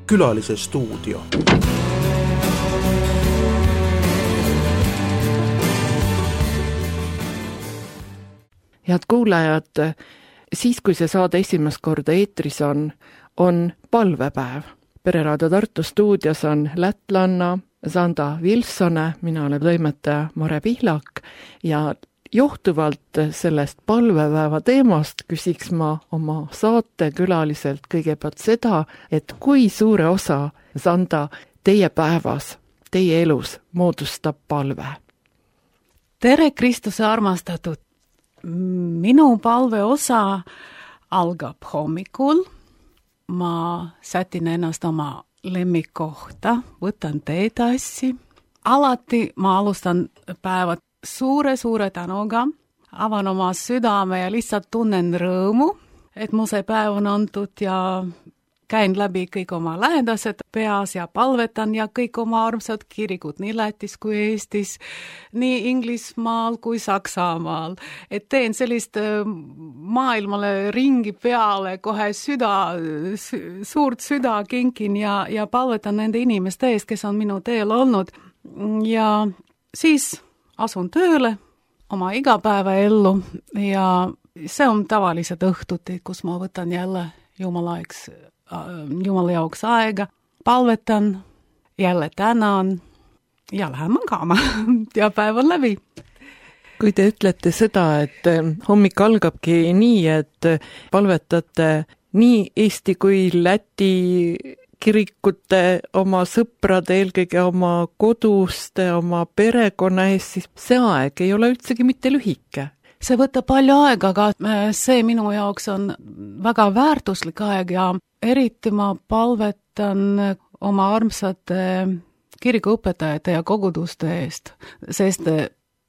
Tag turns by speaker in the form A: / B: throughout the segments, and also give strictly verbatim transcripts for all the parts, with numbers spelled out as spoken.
A: Külalise stuudio.
B: Head kuulajad, siis kui see saade esimest korda eetris on, on palvepäev. Pereraadio Tartu stuudios on lätlanna Sanda Vilsone, mina olen toimetaja Mare Pihlak ja johtuvalt sellest palvepäeva teemast küsiks ma oma saate külaliselt kõigepealt seda, et kui suure osa, Sanda, teie päevas, teie elus moodustab palve?
C: Tere, Kristuse armastatud! Minu palve osa algab hommikul. Ma sätin ennast oma lemmikkohta, võtan teetassi. Alati ma alustan päevad suure-suure tänuga, avan oma südame ja lihtsalt tunnen rõõmu, et mu see päev on antud ja käin läbi kõik oma lähedased peas ja palvetan ja kõik oma armsad kirikud nii Lätis kui Eestis, nii Inglismaal kui Saksamaal. Et teen sellist maailmale ringi peale, kohe süda, suurt süda kinkin ja, ja palvetan nende inimeste eest, kes on minu teel olnud. Ja siis asun tööle oma igapäevaellu ja see on tavalised õhtuti, kus ma võtan jälle Jumalaeks, Jumala jaoks aega, palvetan, jälle tänan ja lähen magama ja päev on läbi.
B: Kui te ütlete seda, et hommik algabki nii, et palvetate nii Eesti kui Läti kirikute, oma sõprade, eelkõige oma koduste, oma perekonna ees, siis see aeg ei ole üldsegi mitte lühike.
C: See võtab palju aega, aga see minu jaoks on väga väärtuslik aeg ja eriti ma palvetan oma armsate kirikuõpetajate ja koguduste eest, sest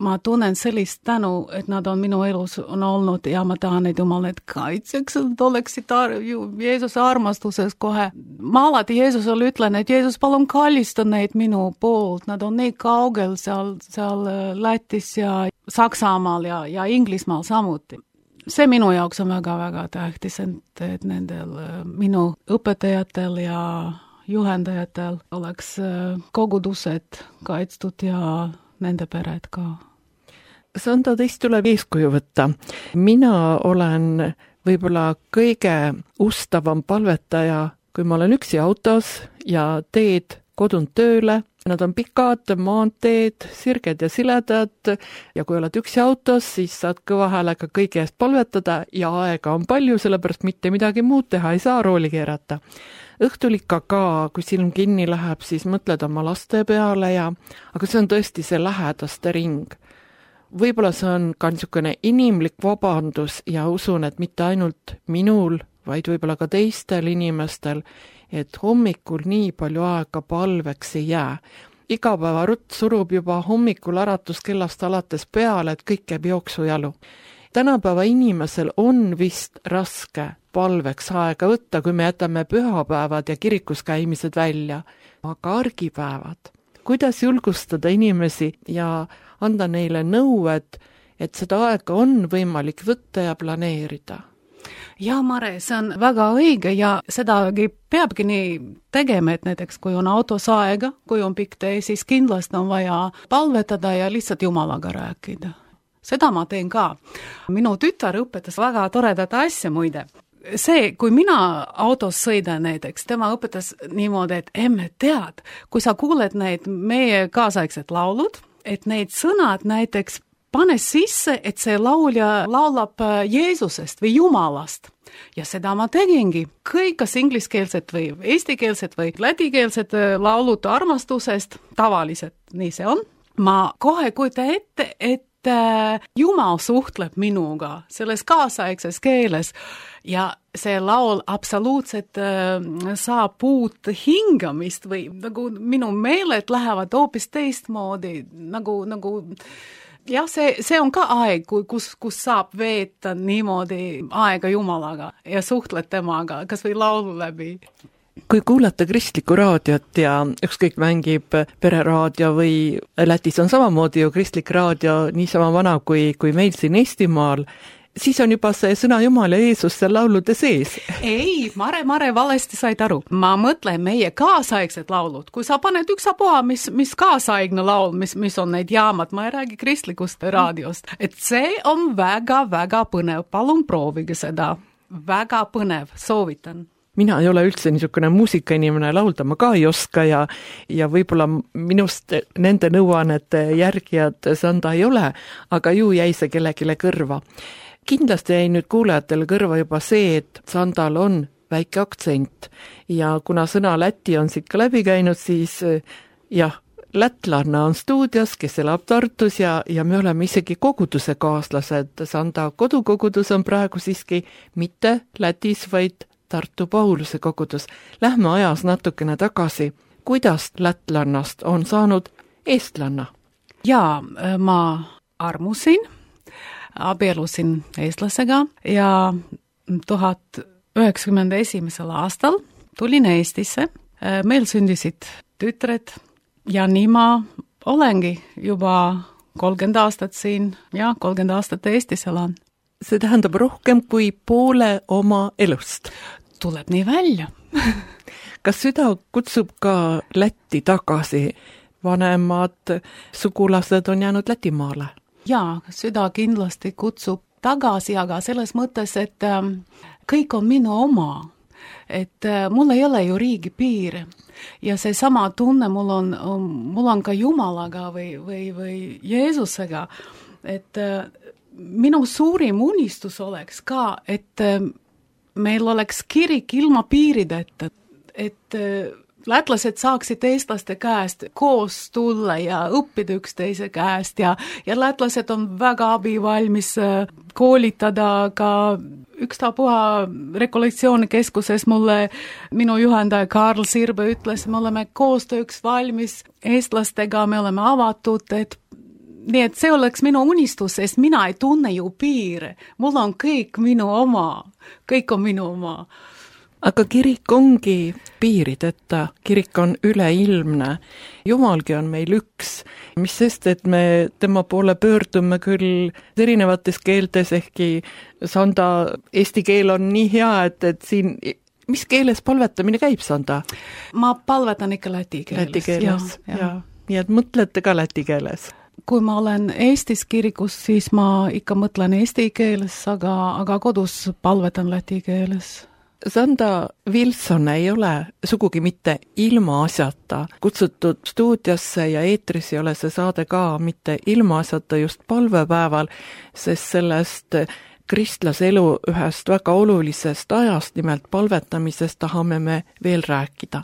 C: ma tunnen sellist tänu, et nad on minu elus on olnud ja ma tahan neid Jumal need kaitseks, et oleksid ar- Jeesuse armastuses kohe. Ma alati Jeesusele ütlen, et Jeesus palun kallista neid minu poolt, nad on nii kaugel seal, seal Lätis ja Saksamaal ja, ja Inglismaal samuti. See minu jaoks on väga-väga tähtis, et, et nendel minu õpetajatel ja juhendajatel oleks kogudused kaitstud ja nende pered ka.
B: Sanda, teist tuleb eeskuju võtta. Mina olen võib-olla kõige ustavam palvetaja, kui ma olen üksi autos ja teed kodunt tööle. Nad on pikad maanteed, sirged ja siledad ja kui oled üksi autos, siis saad kõva häälega kõige eest palvetada ja aega on palju, sellepärast mitte midagi muud teha ei saa, rooli keerata. Õhtul ikka ka, kui silm kinni läheb, siis mõtled oma laste peale ja, aga see on tõesti see lähedaste ring. Võib-olla see on ka niisugune inimlik vabandus ja usun, et mitte ainult minul, vaid võib-olla ka teistel inimestel, et hommikul nii palju aega palveks ei jää. Iga päeva rutt surub juba hommikul äratuskellast alates peale, et kõik käib jooksujalu. Tänapäeva inimesel on vist raske palveks aega võtta, kui me jätame pühapäevad ja kirikus käimised välja. Aga argipäevad, kuidas julgustada inimesi ja anda neile nõu, et, et seda aega on võimalik võtta ja planeerida?
C: Ja Mare, see on väga õige ja sedagi peabki nii tegema, et näiteks kui on autos aega, kui on pikk tee, siis kindlasti on vaja palvetada ja lihtsalt Jumalaga rääkida. Seda ma teen ka. Minu tütar õpetas väga toredat asja muide. See, kui mina autos sõidan näiteks, tema õpetas niimoodi, et emme tead, kui sa kuuled neid meie kaasaegsed laulud, et neid sõnad näiteks pane sisse, et see laulja laulab Jeesusest või Jumalast. Ja seda ma tegingi. Kõik kas ingliskeelset või eestikeelset või lätikeelset laulud armastusest, tavaliselt nii see on. Ma kohe kujutan ette, et Jumal suhtleb minuga selles kaasaegses keeles ja see laul absoluutselt saab uut hingamist või nagu minu meeled lähevad hoopis teistmoodi, nagu, nagu jah, see, see on ka aeg, kus, kus saab veeta niimoodi aega Jumalaga ja suhtled temaga, kas või laulu läbi.
B: Kui kuulata kristlikku raadiot ja ükskõik mängib pereraadio või Lätis on samamoodi ju kristlik raadio niisama vana kui, kui meil siin Eestimaal, siis on juba see sõna Jumal ja Jeesus seal laulude sees.
C: Ei, Mare, Mare, valesti said aru. Ma mõtlen meie kaasaegsed laulud. Kui sa paned üksapuha, mis, mis kaasaegne laul, mis, mis on need jaamad, ma ei räägi kristlikust raadiost. Et see on väga, väga põnev. Palun proovige seda. Väga põnev, soovitan.
B: Mina ei ole üldse niisugune muusikainimene, laulda ma ka ei oska ja, ja võib-olla minust nende nõuannete järgijad Sanda ei ole, aga ju jäi see kellegile kõrva. Kindlasti jäi nüüd kuulajatele kõrva juba see, et Sandal on väike aktsent ja kuna sõna Läti on siit ka läbi käinud, siis jah, lätlanna on stuudios, kes elab Tartus ja, ja me oleme isegi koguduse kaaslased. Sanda kodukogudus on praegu siiski mitte Lätis, vaid Tartu Pauluse kogudus. Lähme ajas natukene tagasi. Kuidas lätlannast on saanud eestlanna?
C: Jaa, ma armusin, abielusin eestlasega ja tuhat üheksakümmend esimesel aastal tulin Eestisse. Meil sündisid tütred ja nii ma olengi juba kolmkümmend aastat siin ja kolmkümmend aastat Eestis elan.
B: See tähendab rohkem kui poole oma elust.
C: Tuleb nii välja.
B: Kas süda kutsub ka Lätti tagasi? Vanemad sugulased on jäänud Lätimaale?
C: Jaa, süda kindlasti kutsub tagasi, aga selles mõttes, et kõik on minu oma. Et mul ei ole ju riigi piire. Ja see sama tunne mul on, mul on ka Jumalaga või, või, või Jeesusega. Et minu suurim unistus oleks ka, et meil oleks kirik ilma piirideta, et lätlased saaksid eestlaste käest koos tulla ja õppida üksteise käest ja, ja lätlased on väga abivalmis koolitada ka ükstapuha rekollektsiooni-keskuses mulle minu juhendaja Karl Sirbe ütles, me oleme koostööks valmis eestlastega, me oleme avatud, et nii et see oleks minu unistus, sest mina ei tunne ju piire. Mul on kõik minu oma. Kõik on minu oma.
B: Aga kirik ongi piirideta. Kirik on üleilmne. Jumalgi on meil üks. Mis sest, et me tema poole pöördume küll erinevates keeltes, ehkki Sanda eesti keel on nii hea, et, et siin... Mis keeles palvetamine käib, Sanda?
C: Ma palvetan ikka läti keeles.
B: Läti keeles, ja, ja. Nii et mõtlete ka läti keeles.
C: Kui ma olen Eestis kirikus, siis ma ikka mõtlen eesti keeles, aga, aga kodus palvetan läti keeles.
B: Sanda Wilson ei ole sugugi mitte ilma asjata kutsutud stuudiosse ja eetris ei ole see saade ka mitte ilma asjata just palvepäeval, sest sellest kristlase elu ühest väga olulisest ajast, nimelt palvetamisest, tahame me veel rääkida.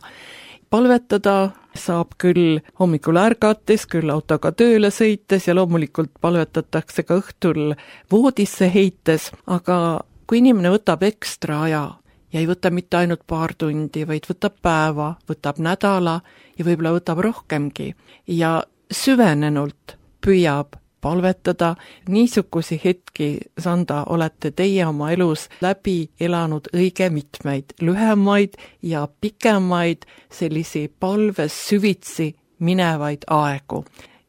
B: Palvetada saab küll hommikul ärgates, küll autoga tööle sõites ja loomulikult palvetatakse ka õhtul voodisse heites, aga kui inimene võtab ekstra aja ja ei võta mitte ainult paar tundi, vaid võtab päeva, võtab nädala ja võib-olla võtab rohkemgi ja süvenenult püüab palvetada, niisugusi hetki, Sanda, olete teie oma elus läbi elanud õige mitmeid, lühemaid ja pikemaid sellisi palves süvitsi minevaid aegu.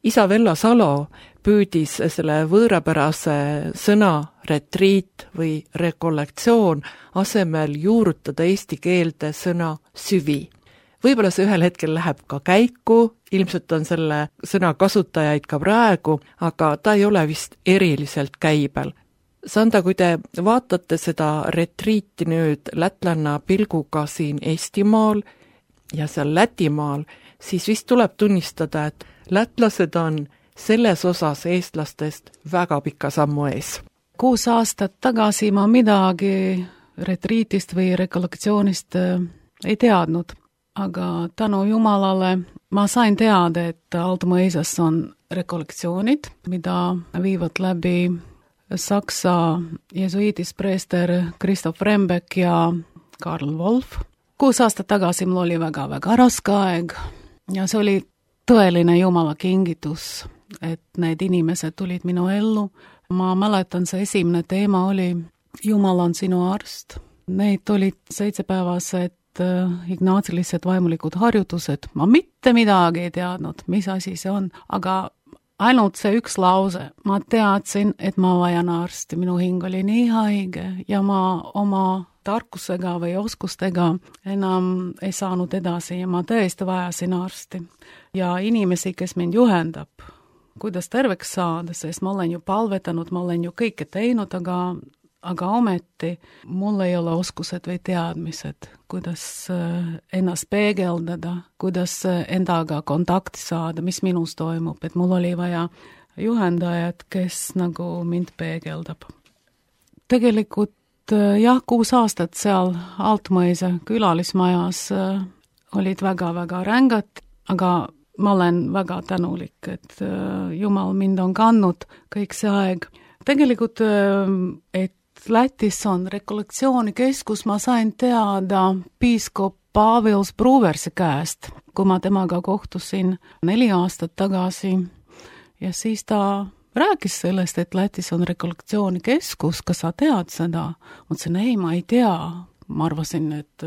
B: Isa Vello Salo püüdis selle võõrapärase sõna retriit või rekollektsioon asemel juurutada eesti keelde sõna süvi. Võib-olla see ühel hetkel läheb ka käiku, ilmselt on selle sõna kasutajaid ka praegu, aga ta ei ole vist eriliselt käibel. Sanda, kui te vaatate seda retriiti nüüd lätlanna pilguga siin Eestimaal ja seal Lätimaal, siis vist tuleb tunnistada, et lätlased on selles osas eestlastest väga pika sammu ees.
C: Kuus aastat tagasi ma midagi retriitist või rekollektsioonist ei teadnud. Aga tänu Jumalale ma sain teada, et Altumõisas on rekollektsioonid, mida viivad läbi Saksa jesuiidist preester Christoph Rembeck ja Karl Wolf. Kuus aastat tagasi mul oli väga-väga raske aeg ja see oli tõeline Jumala kingitus, et need inimesed tulid minu ellu. Ma mäletan, see esimene teema oli Jumal on sinu arst. Neid olid seitsepäevased ignaatsilised vaimulikud harjutused. Ma mitte midagi ei teadnud, mis asi see on, aga ainult see üks lause. Ma teadsin, et ma vajan arsti. Minu hing oli nii haige ja ma oma tarkusega või oskustega enam ei saanud edasi ja ma tõesti vajasin arsti. Ja inimesi, kes mind juhendab, kuidas terveks saada, sest ma olen ju palvetanud, ma olen ju kõike teinud, aga, aga ometi mul ei ole oskused või teadmised, kuidas ennast peegeldada, kuidas endaga kontakti saada, mis minus toimub, et mul oli vaja juhendajat, kes nagu mind peegeldab. Tegelikult jah, kuus aastat seal Altmõisa külalismajas olid väga-väga rängad, aga ma olen väga tänulik, et Jumal mind on kandnud kõik see aeg. Tegelikult, et Lätis on rekolektsioonikeskus, ma sain teada piiskop Pavils Bruversi käest, kui ma temaga kohtusin neli aastat tagasi ja siis ta rääkis sellest, et Lätis on rekolektsioonikeskus, kas sa tead seda? Ma ütlesin, ei, ma ei tea. Ma arvasin, et,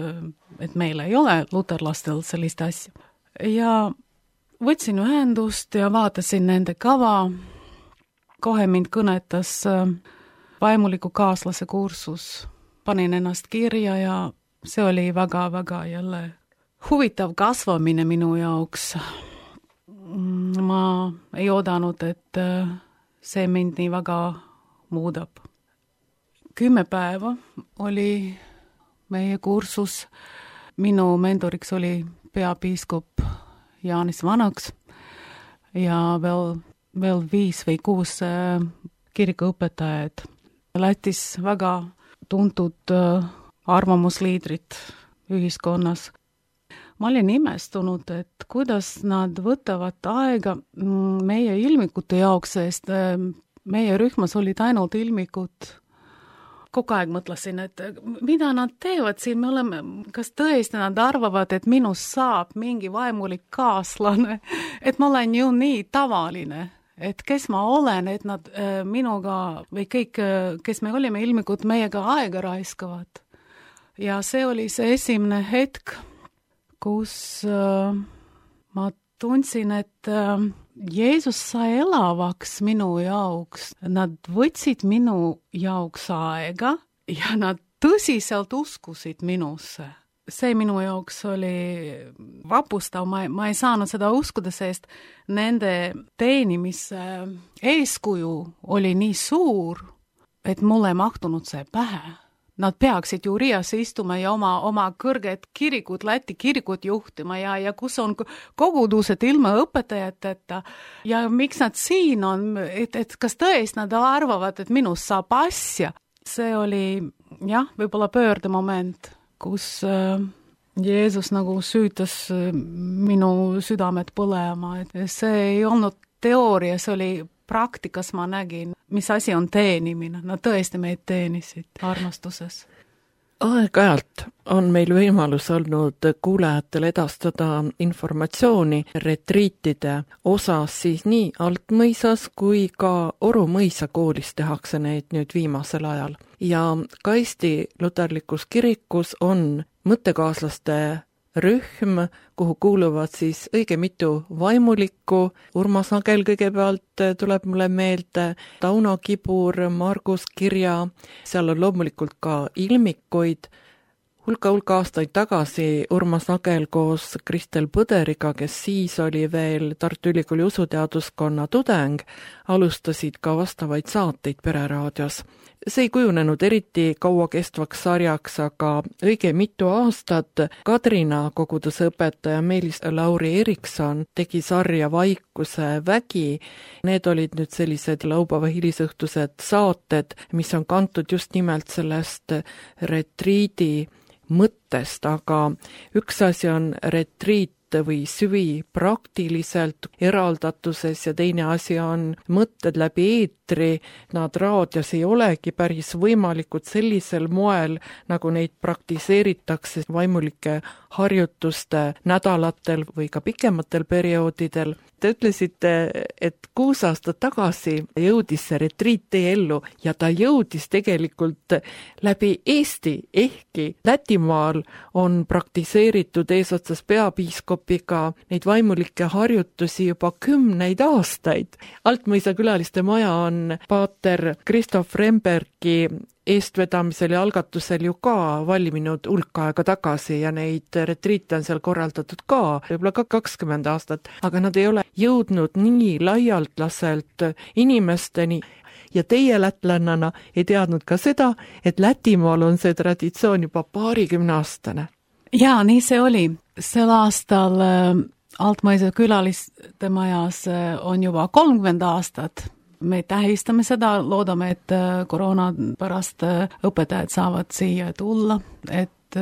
C: et meil ei ole luterlastel sellist asja. Ja võtsin ühendust ja vaatasin nende kava. Kohe mind kõnetas vaimuliku kaaslase kursus. Panin ennast kirja ja see oli väga-väga jälle huvitav kasvamine minu jaoks. Ma ei oodanud, et see mind nii väga muudab. Kümme päeva oli meie kursus. Minu mentoriks oli peapiiskop Jaanis Vanaks ja veel, veel viis või kuus kirikuõpetajad. Lätis väga tuntud arvamusliidrid ühiskonnas. Ma olin imestunud, et kuidas nad võtavad aega meie ilmikute jaoks, sest meie rühmas olid ainult ilmikud. Kogu aeg mõtlesin, et mida nad teevad siin, me oleme, kas tõesti nad arvavad, et minust saab mingi vaimulik kaaslane, et ma olen ju nii tavaline, et kes ma olen, et nad minuga või kõik, kes me olime ilmikud, meiega aega raiskavad. Ja see oli see esimene hetk, kus äh, ma tundsin, et äh, Jeesus sai elavaks minu jaoks. Nad võtsid minu jaoks aega ja nad tõsiselt uskusid minusse. See minu jaoks oli vapustav, ma, ma ei saanud seda uskuda, sest nende teenimise eeskuju oli nii suur, et mulle ei mahtunud see pähe. Nad peaksid ju Riias istuma ja oma, oma kõrged kirikud, Läti kirikud juhtima ja, ja kus on kogudused ilma õpetajateta ja miks nad siin on, et, et kas tõesti nad arvavad, et minust saab asja. See oli, jah, võib-olla pöördemoment, kus äh, Jeesus nagu süütas minu südamed põlema, et see ei olnud teooria, see oli praktikas ma nägin, mis asi on teenimine. Nad tõesti meid teenisid armastuses.
B: Aeg-ajalt on meil võimalus olnud kuulajatele edastada informatsiooni retriitide osas siis nii Altmõisas kui ka Oru mõisa koolis tehakse neid nüüd viimasel ajal. Ja ka Eesti luterlikus kirikus on mõttekaaslaste rühm, kuhu kuuluvad siis õige mitu vaimulikku. Urmas Nagel kõigepealt tuleb mulle meelde, Tauno Kibur, Margus Kirja, seal on loomulikult ka ilmikuid. Hulka-hulka aastaid tagasi Urmas Nagel koos Kristel Põderiga, kes siis oli veel Tartu Ülikooli usuteaduskonna tudeng, alustasid ka vastavaid saateid Pereraadios. See ei kujunenud eriti kaua kestvaks sarjaks, aga õige mitu aastat Kadrina koguduse õpetaja Meelis Lauri Erikson tegi sarja Vaikuse vägi. Need olid nüüd sellised laupäeva hilisõhtused saated, mis on kantud just nimelt sellest retriidi mõttest, aga üks asi on retriit või süvi praktiliselt eraldatuses ja teine asi on mõtted läbi eetri, eetri, nad raadios ei olegi päris võimalikud sellisel moel, nagu neid praktiseeritakse vaimulike harjutuste nädalatel või ka pikematel perioodidel. Te ütlesite, et kuus aastat tagasi jõudis see retriit teie ellu ja ta jõudis tegelikult läbi Eesti, ehkki Lätimaal on praktiseeritud eesotsas peapiiskopiga neid vaimulikke harjutusi juba kümneid aastaid. Altmõisa külaliste maja on paater Kristof Rembergi eestvedamisel ja algatusel ju ka valminud hulk aega tagasi ja neid retriite on seal korraldatud ka võib-olla ka kakskümmend aastat, aga nad ei ole jõudnud nii laialdaselt inimesteni. Ja teie lätlannana ei teadnud ka seda, et Lätimaal on see traditsioon juba paarikümne aastane.
C: Jaa, nii see oli. Sel aastal Altmõisa külaliste majas on juba kolmkümmend aastat. Me tähistame seda, loodame, et koroona pärast õpetajad saavad siia tulla, et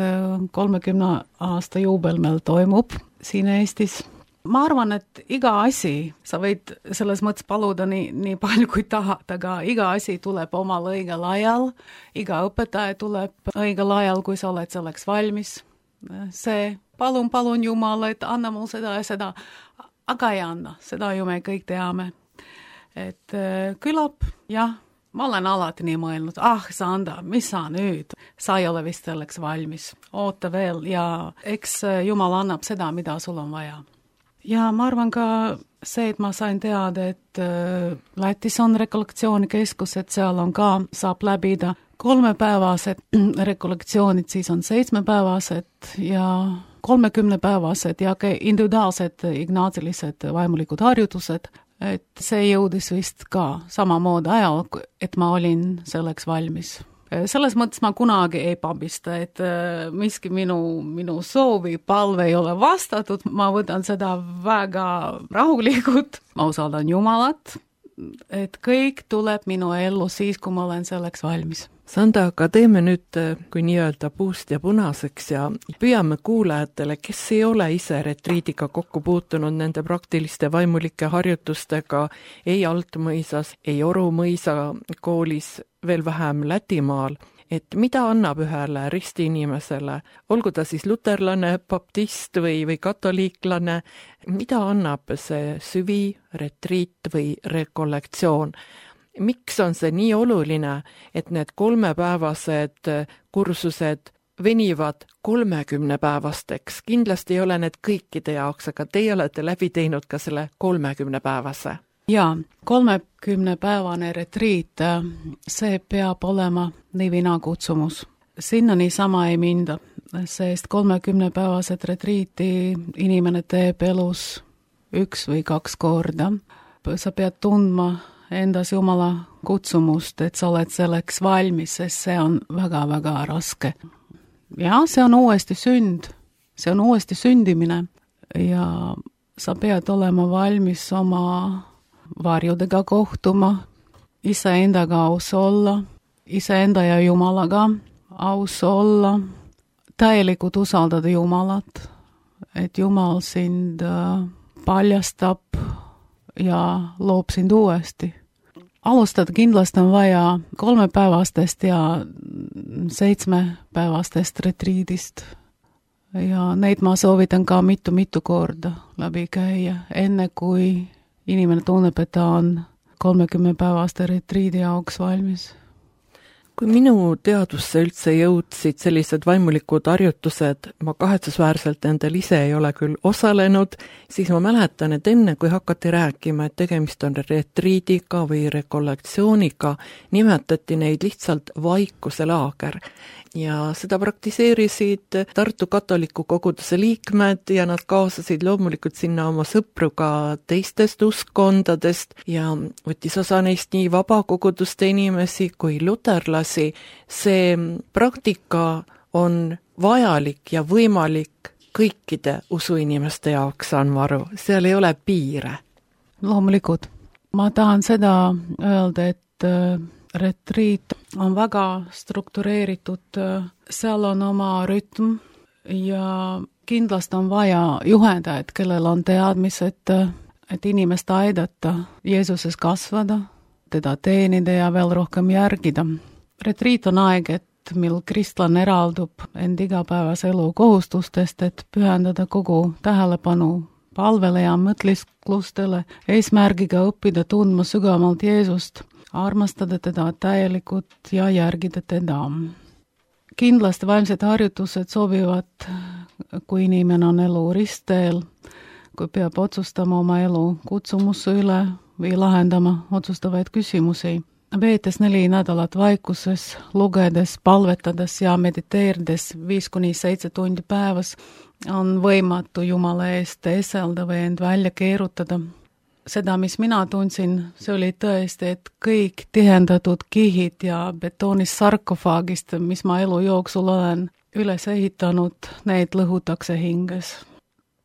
C: kolmekümne aasta juubel meil toimub siin Eestis. Ma arvan, et iga asi, sa võid selles mõttes paluda nii, nii palju kui tahad, aga iga asi tuleb omal õigel ajal, iga õpetaja tuleb õigel ajal, kui sa oled selleks valmis. See palun, palun Jumala, et anna mul seda ja seda, aga ei anna, seda ju me kõik teame. Et külab, jah, ma olen alati nii mõelnud, ah, Sanda, mis sa nüüd? Sa ei ole vist selleks valmis. Oota veel ja eks Jumal annab seda, mida sul on vaja. Ja ma arvan ka see, et ma sain teada, et Lätis on rekollektsioonikeskus, et seal on ka, saab läbida kolmepäevased rekollektsioonid, siis on seitsmepäevased ja kolmekümnepäevased ja individuaalsed ignaatilised vaimulikud harjutused. Et see jõudis vist ka samamoodi ajal, et ma olin selleks valmis. Selles mõttes ma kunagi ei pabista, et miski minu, minu soovi palve ei ole vastatud, ma võtan seda väga rahulikult, ma usaldan Jumalat, et kõik tuleb minu ellu siis, kui ma olen selleks valmis.
B: Sanda, aga teeme nüüd kui nii-öelda puust ja punaseks ja püüame kuulajatele, kes ei ole ise retriidiga kokku puutunud nende praktiliste vaimulike harjutustega ei Altmõisas, ei Orumõisa koolis, veel vähem Lätimaal, et mida annab ühele ristiinimesele, olgu ta siis luterlane, baptist või, või katoliiklane, mida annab see süvi, retriit või rekollektsioon? Miks on see nii oluline, et need kolmepäevased kursused venivad kolmekümnepäevasteks? Kindlasti ei ole need kõikide jaoks, aga teie olete läbi teinud ka selle kolmekümnepäevase.
C: Jaa, kolmekümnepäevane retriit, see peab olema nivina kutsumus. Sinna niisama ei minda, sest kolmekümnepäevased retriiti inimene teeb elus üks või kaks korda. Sa pead tundma endas Jumala kutsumust, et sa oled selleks valmis, sest see on väga-väga raske. Ja see on uuesti sünd, see on uuesti sündimine ja sa pead olema valmis oma varjudega kohtuma, iseendaga aus olla, iseenda ja Jumalaga aus olla, täielikult usaldada Jumalat, et Jumal sind paljastab ja loob sind uuesti. Alustada kindlasti on vaja kolmepäevastest ja seitsmepäevastest retriidist ja neid ma soovitan ka mitu-mitu korda läbi käia, enne kui inimene tunneb, et ta on kolmekümnepäevaste retriidi jaoks valmis.
B: Kui minu teadusse üldse jõudsid sellised vaimulikud harjutused, ma kahetsusväärselt nendel ise ei ole küll osalenud, siis ma mäletan, et enne kui hakati rääkima, et tegemist on retriidiga või rekollektsiooniga, nimetati neid lihtsalt vaikuselaager. Ja seda praktiseerisid Tartu katoliku koguduse liikmed ja nad kaasasid loomulikult sinna oma sõpru ka teistest uskondadest ja võttis osa neist nii vabakoguduste inimesi kui luterlasi. See praktika on vajalik ja võimalik kõikide usuinimeste jaoks, saan ma aru. Seal ei ole piire.
C: Loomulikult. Ma tahan seda öelda, et retriit on väga struktureeritud, seal on oma rütm ja kindlasti on vaja juhendajad, kellel on teadmised, et inimest aidata Jeesuses kasvada, teda teenida ja veel rohkem järgida. Retriit on aeg, et mil kristlane eraldub end igapäevase elu kohustustest, et pühendada kogu tähelepanu palvele ja mõtlisklustele, eesmärgiga õppida tundma sügavamalt Jeesust, armastada teda täielikult ja järgida teda. Kindlasti vaimsed harjutused sobivad, kui inimene on elu ristteel, kui peab otsustama oma elu kutsumusse üle või lahendama otsustavaid küsimusi. Veetes neli nädalat vaikuses, lugedes, palvetades ja mediteerides viis kuni seitse tundi päevas, on võimatu Jumala eest eselda või end välja keerutada. Seda, mis mina tundsin, see oli tõesti, et kõik tihendatud kihid ja betoonist sarkofaagist, mis ma elu jooksul olen üles ehitanud, neid lõhutakse hinges.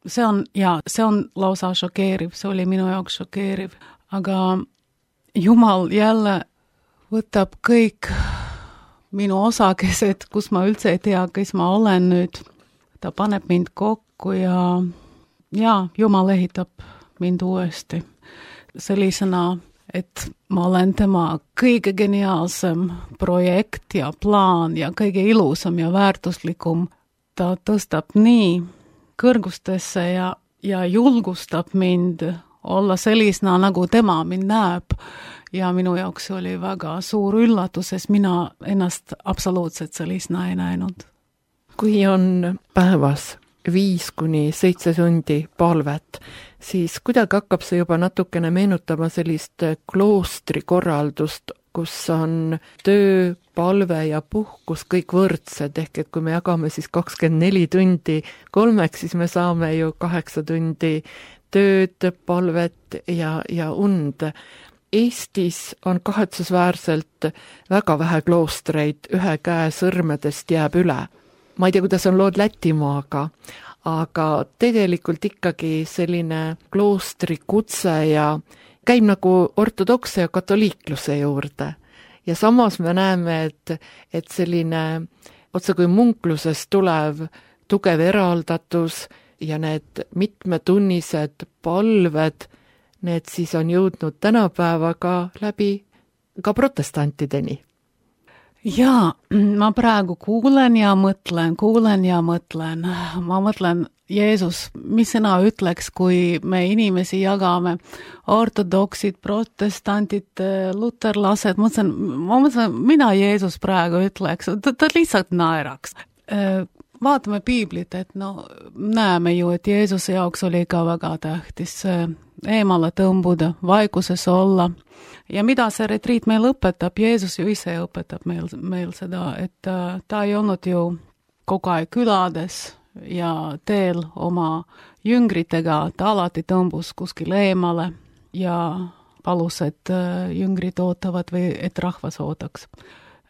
C: See on, ja see on lausa šokeeriv, see oli minu jaoks šokeeriv, aga Jumal jälle võtab kõik minu osakesed, kus ma üldse ei tea, kes ma olen nüüd. Ta paneb mind kokku ja, ja Jumal ehitab mind uuesti sellisena, et ma olen tema kõige geniaalsem projekt ja plaan ja kõige ilusam ja väärtuslikum. Ta tõstab nii kõrgustesse ja, ja julgustab mind olla sellisena, nagu tema mind näeb. Ja minu jaoks oli väga suur üllatus, sest mina ennast absoluutselt sellisena ei näinud.
B: Kui on päevas viis kuni seitse tundi palvet, siis kuidagi hakkab see juba natukene meenutama sellist kloostrikorraldust, kus on töö, palve ja puhkus kõik võrdsed, ehk et kui me jagame siis kakskümmend neli tundi kolmeks, siis me saame ju kaheksa tundi tööd, palvet ja, ja und. Eestis on kahetsusväärselt väga vähe kloostreid, ühe käe sõrmedest jääb üle. Ma ei tea, kuidas on lood Lätimaaga, aga tegelikult ikkagi selline kloostrikutse ja käib nagu ortodokse ja katoliikluse juurde. Ja samas me näeme, et, et selline otse kui munklusest tulev tugev eraldatus ja need mitmetunnised palved, need siis on jõudnud tänapäevaga läbi ka protestantideni.
C: Jaa, ma praegu kuulen ja mõtlen, kuulen ja mõtlen. Ma mõtlen, Jeesus, mis sina ütleks, kui me inimesi jagame, ortodoksid, protestantid, luterlased, mõtlen, ma mõtlen, mina Jeesus praegu ütleks, ta, ta lihtsalt naeraks. Vaatame piiblit, et no näeme ju, et Jeesuse jaoks oli ka väga tähtis eemale tõmbuda, vaikuses olla. Ja mida see retriit meil õpetab? Jeesus ju ise õpetab meil, meil seda, et ta ei olnud ju kogu aeg külades ja teel oma jüngritega, ta alati tõmbus kuskil eemale ja palus, et jüngrid ootavad või et rahvas ootaks.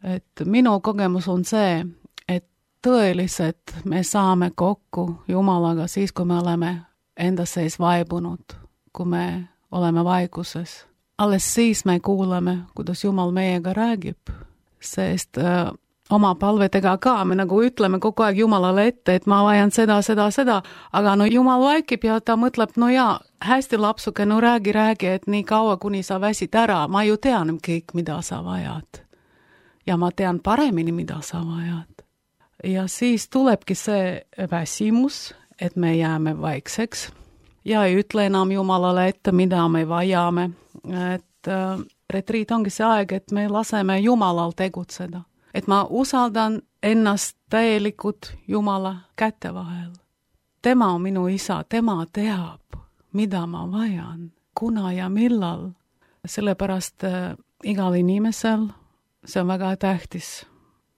C: Et minu kogemus on see, et tõeliselt me saame kokku Jumalaga siis, kui me oleme enda sees vaibunud, kui me oleme vaikuses. Alles siis me kuuleme, kuidas Jumal meiega räägib, sest äh, oma palvetega ka me nagu ütleme kogu aeg Jumalale ette, et ma vajan seda, seda, seda, aga no Jumal vaikib ja ta mõtleb, no jaa, hästi lapsuke, no räägi, räägi, et nii kaua, kuni sa väsid ära, ma ju tean kõik, mida sa vajad. Ja ma tean paremini, mida sa vajad. Ja siis tulebki see väsimus, et me jääme vaikseks ja ei ütle enam Jumalale ette, mida me vajame. Et äh, retriit ongi see aeg, et me laseme Jumalal tegutseda. Et ma usaldan ennast täielikult Jumala käte vahel. Tema on minu isa, tema teab, mida ma vajan, kuna ja millal. Sellepärast äh, igal inimesel see on väga tähtis,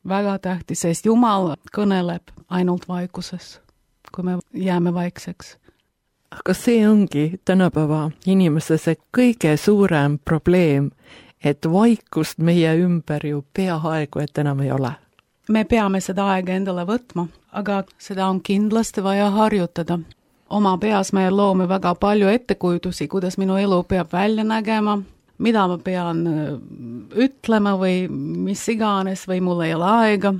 C: väga tähtis, sest Jumal kõneleb ainult vaikuses, kui me jääme vaikseks.
B: Aga see ongi tänapäeva inimese see kõige suurem probleem, et vaikust meie ümber ju peaaegu et enam ei ole.
C: Me peame seda aega endale võtma, aga seda on kindlasti vaja harjutada. Oma peas me loome väga palju ettekujutusi, kuidas minu elu peab välja nägema, mida ma pean ütlema või mis iganes või mul ei ole aega.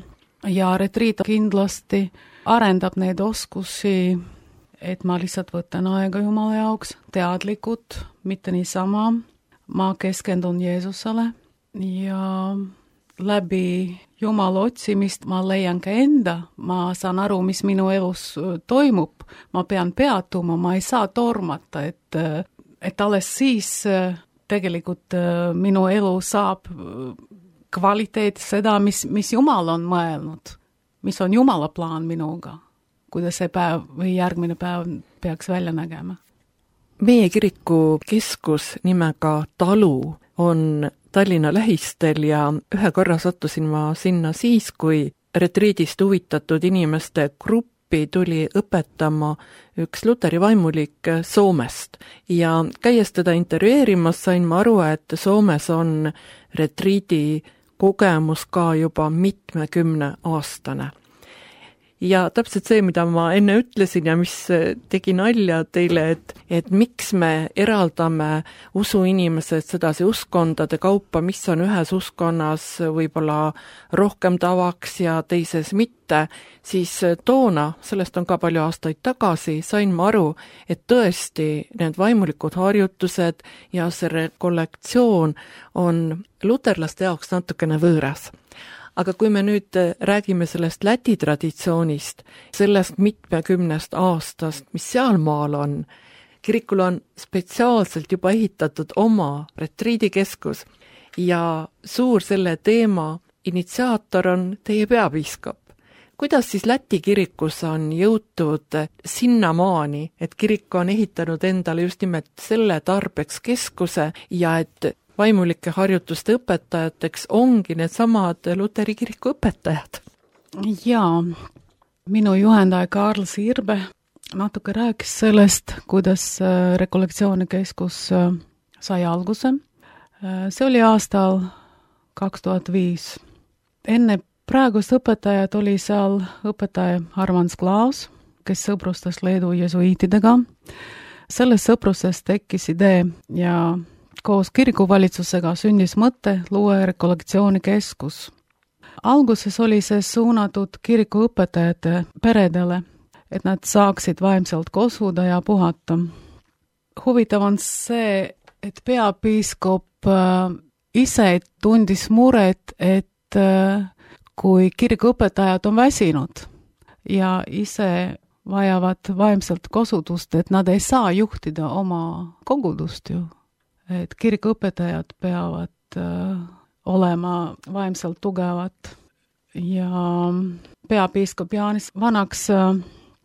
C: Ja retriit kindlasti arendab neid oskusi, et ma lihtsalt võtan aega Jumala jaoks teadlikult, mitte niisama, ma keskendun Jeesusele ja läbi Jumala otsimist ma leian ka enda, ma saan aru, mis minu elus toimub, ma pean peatuma, ma ei saa tormata, et, et alles siis tegelikult minu elu saab kvaliteet seda, mis, mis Jumal on mõelnud, mis on Jumala plaan minuga, kuidas see päev või järgmine päev peaks välja nägema.
B: Meie kiriku keskus nimega Talu on Tallinna lähistel ja ühe korra sattusin ma sinna siis, kui retriidist huvitatud inimeste gruppi tuli õpetama üks luteri vaimulik Soomest. Ja käies teda intervjueerimas sain ma aru, et Soomes on retriidi kogemus ka juba mitmekümne aastane. Ja täpselt see, mida ma enne ütlesin ja mis tegi nalja teile, et, et miks me eraldame usuinimesed sedasi uskondade kaupa, mis on ühes uskonnas võib-olla rohkem tavaks ja teises mitte, siis toona, sellest on ka palju aastaid tagasi, sain ma aru, et tõesti need vaimulikud harjutused ja see rekollektsioon on luterlaste jaoks natukene võõras. Aga kui me nüüd räägime sellest Läti traditsioonist, sellest mitmekümnest aastast, mis sealmaal on, kirikul on spetsiaalselt juba ehitatud oma retriidikeskus ja suur selle teema initsiaator on teie peapiiskop. Kuidas siis Läti kirikus on jõutud sinnamaani, et kirik on ehitanud endale just nimelt selle tarbeks keskuse ja et vaimulike harjutuste õpetajateks ongi need samad Luteri kiriku õpetajad?
C: Jaa, minu juhendaja Karl Sirbe natuke rääkis sellest, kuidas rekollektsioonikeskus sai alguse. See oli aastal kaks tuhat viis. Enne praegust õpetajat oli seal õpetaja Armand Klaus, kes sõbrustas Leedu jesuiitidega. Selles sõprusest tekkis idee ja koos kirikuvalitsusega sündis mõte luua rekollektsioonikeskus. Alguses oli see suunatud kirikuõpetajate peredele, et nad saaksid vaimselt kosuda ja puhata. Huvitav on see, et peapiiskop ise tundis muret, et kui kirikuõpetajad on väsinud ja ise vajavad vaimselt kosudust, et nad ei saa juhtida oma kogudust ju. Et kirikuõpetajad peavad äh, olema vaimselt tugevad ja peapiiskop Jaanis Vanaks äh,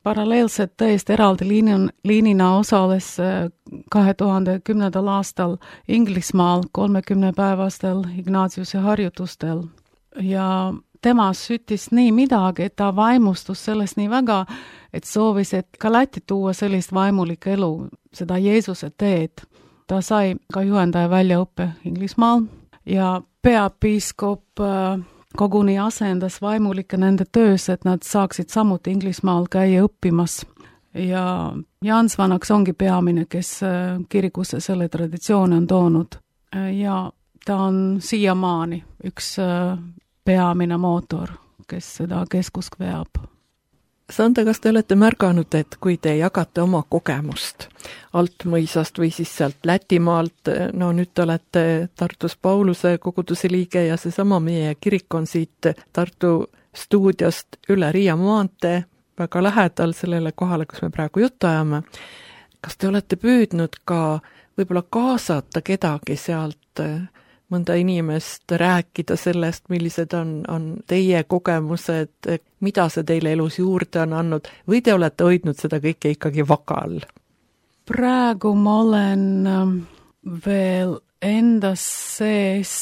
C: paralleelselt täiesti eraldi liinin, liinina osales äh, kahe tuhande kümnendal aastal Inglismaal kolmekümnepäevastel Ignatiuse harjutustel ja tema süttis nii midagi, et ta vaimustus sellest nii väga, et soovis, et ka Läti tuua sellist vaimulik elu, seda Jeesuse teed. Ta sai ka juhendaja väljaõppe Inglismaal ja peapiiskop koguni asendas vaimulikke nende töös, et nad saaksid samuti Inglismaal käia õppimas. Ja Jans Vanaks ongi peamine, kes kirikusse selle traditsiooni on toonud. Ja ta on siiamaani üks peamine mootor, kes seda keskust veab.
B: Sanda, kas te olete märganud, et kui te jagate oma kogemust Altmõisast või siis sealt Lätimaalt, no nüüd te olete Tartus Pauluse koguduse liige ja seesama meie kirik on siit Tartu stuudiost üle Riia maantee, väga lähedal sellele kohale, kus me praegu juttu ajame. Kas te olete püüdnud ka võib-olla kaasata kedagi sealt mõnda inimest rääkida sellest, millised on, on teie kogemused, mida see teile elus juurde on andnud, või te olete hoidnud seda kõike ikkagi vakal?
C: Praegu ma olen veel endas sees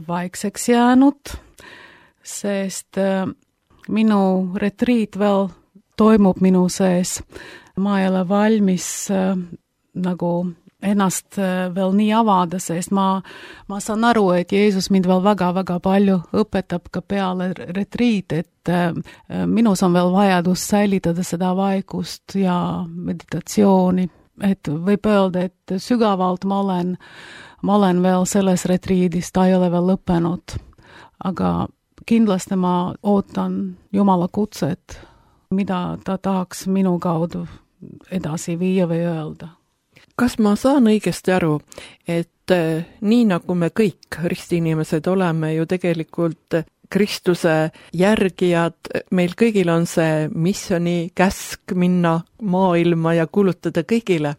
C: vaikseks jäänud, sest minu retriit veel toimub minu sees. Ma ei ole valmis nagu ennast veel nii avada, sest ma, ma saan aru, et Jeesus mind veel väga-väga palju õpetab ka peale retriit, et minus on veel vajadus säilitada seda vaikust ja meditatsiooni, et võib öelda, et sügavalt ma olen, ma olen veel selles retriidis, ta ei ole veel lõppenud, aga kindlasti ma ootan Jumala kutset, mida ta tahaks minu kaudu edasi viia või öelda.
B: kas ma saan õigesti aru, et nii nagu me kõik ristiinimesed oleme ju tegelikult Kristuse järgijad, meil kõigil on see missioni käsk minna maailma ja kuulutada kõigile,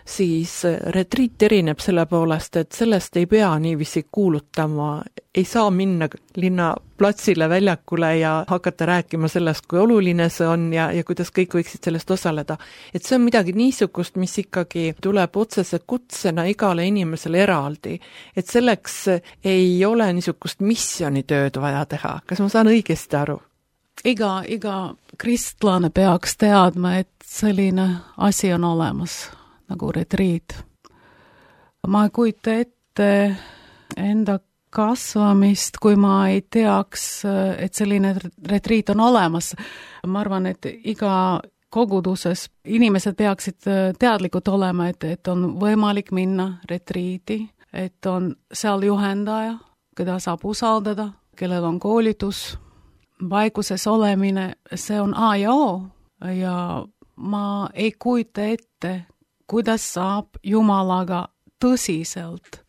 B: siis retriit erineb selle poolest, et sellest ei pea niiviisi kuulutama, ei saa minna linnaplatsile, väljakule ja hakata rääkima sellest, kui oluline see on ja, ja kuidas kõik võiksid sellest osaleda. Et see on midagi niisugust, mis ikkagi tuleb otsese kutsena igale inimesele eraldi. Et selleks ei ole niisugust missionitööd vaja teha. Kas ma saan õigesti aru?
C: Iga, iga kristlane peaks teadma, et selline asi on olemas. Nagu retriit. Ma ei kujuta ette enda kasvamist, kui ma ei teaks, et selline retriit on olemas. Ma arvan, et iga koguduses inimesed peaksid teadlikud olema, et, et on võimalik minna retriiti, et on seal juhendaja, keda saab usaldada, kellel on koolitus, vaikuses olemine, see on A ja O ja ma ei kujuta ette, kuidas saab Jumalaga tõsiselt,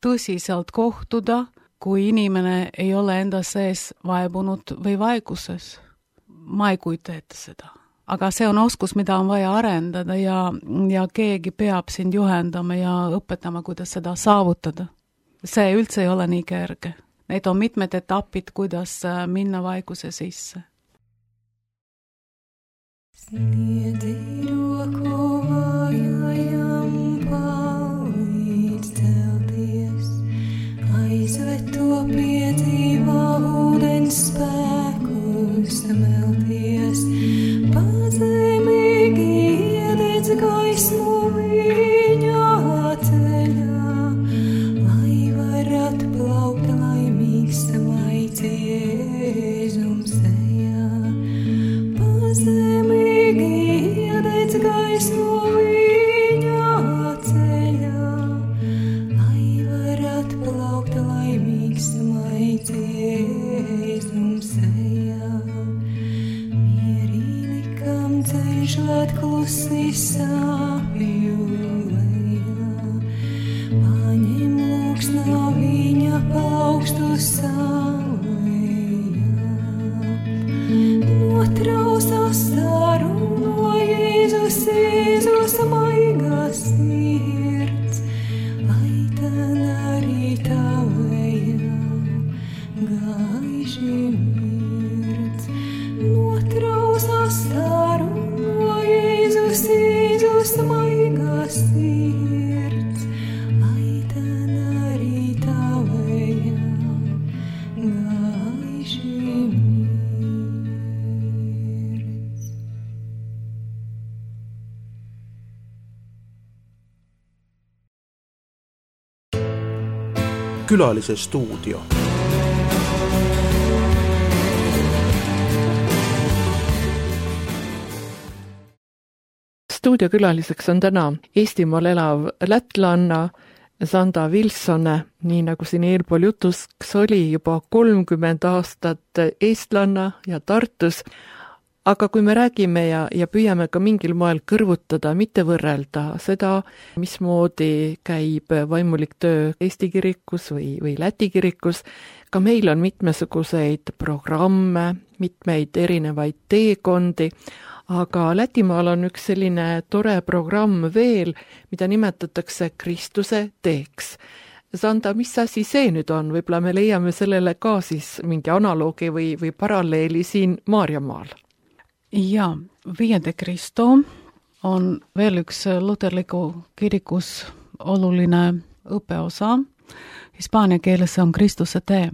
C: tõsiselt kohtuda, kui inimene ei ole enda sees vaebunud või vaikuses. Ma ei kujuta ette seda. Aga see on oskus, mida on vaja arendada ja, ja keegi peab sind juhendama ja õpetama, kuidas seda saavutada. See üldse ei ole nii kerge. Need on mitmed etapid, kuidas minna vaikuse sisse.
A: Sniedi roku vājajam palīdz celties, aizved to piedzīvā ūdens spēkus melties, pazemīgi iededz gaismu viņa ceļā, lai var atplaukt laimīgs samaitī Jēzum sejā. Pazemīgi iededz gaismu viņa ceļā, lai var atplaukt laimīgs samaitī Jēzum sejā. Mierīgi, kam ceļš lēt klusi sāpju lejā, paņem lūksnā viņa paukstu saulējā. Notraus astaru no Jēzus, Jēzus maigas sirds, lai tan arī tavējā gaiši mirdz. Notraus astaru no Jēzus, Jēzus maigas sirds, lai tan arī tavējā gaiši mirdz.
D: Külalise stuudio.
B: Stuudiokülaliseks on täna Eestimaal elav lätlanna Sanda Vilsone, nii nagu siin eelpool jutuks oli, juba kolmkümmend aastat eestlanna ja Tartus. Aga kui me räägime ja, ja püüame ka mingil moel kõrvutada, mitte võrrelda seda, mismoodi käib vaimulik töö Eesti kirikus või, või Läti kirikus, ka meil on mitmesuguseid programme, mitmeid erinevaid teekondi, aga Lätimaal on üks selline tore programm veel, mida nimetatakse Kristuse teeks. Sanda, mis asi see nüüd on? Võib-olla me leiame sellele ka siis mingi analoogi või, või paralleeli siin Maarjamaal.
C: Ja, Via de Cristo on veel üks luterliku kirikus oluline õppeosa. Hispaania keeles on Kristuse tee.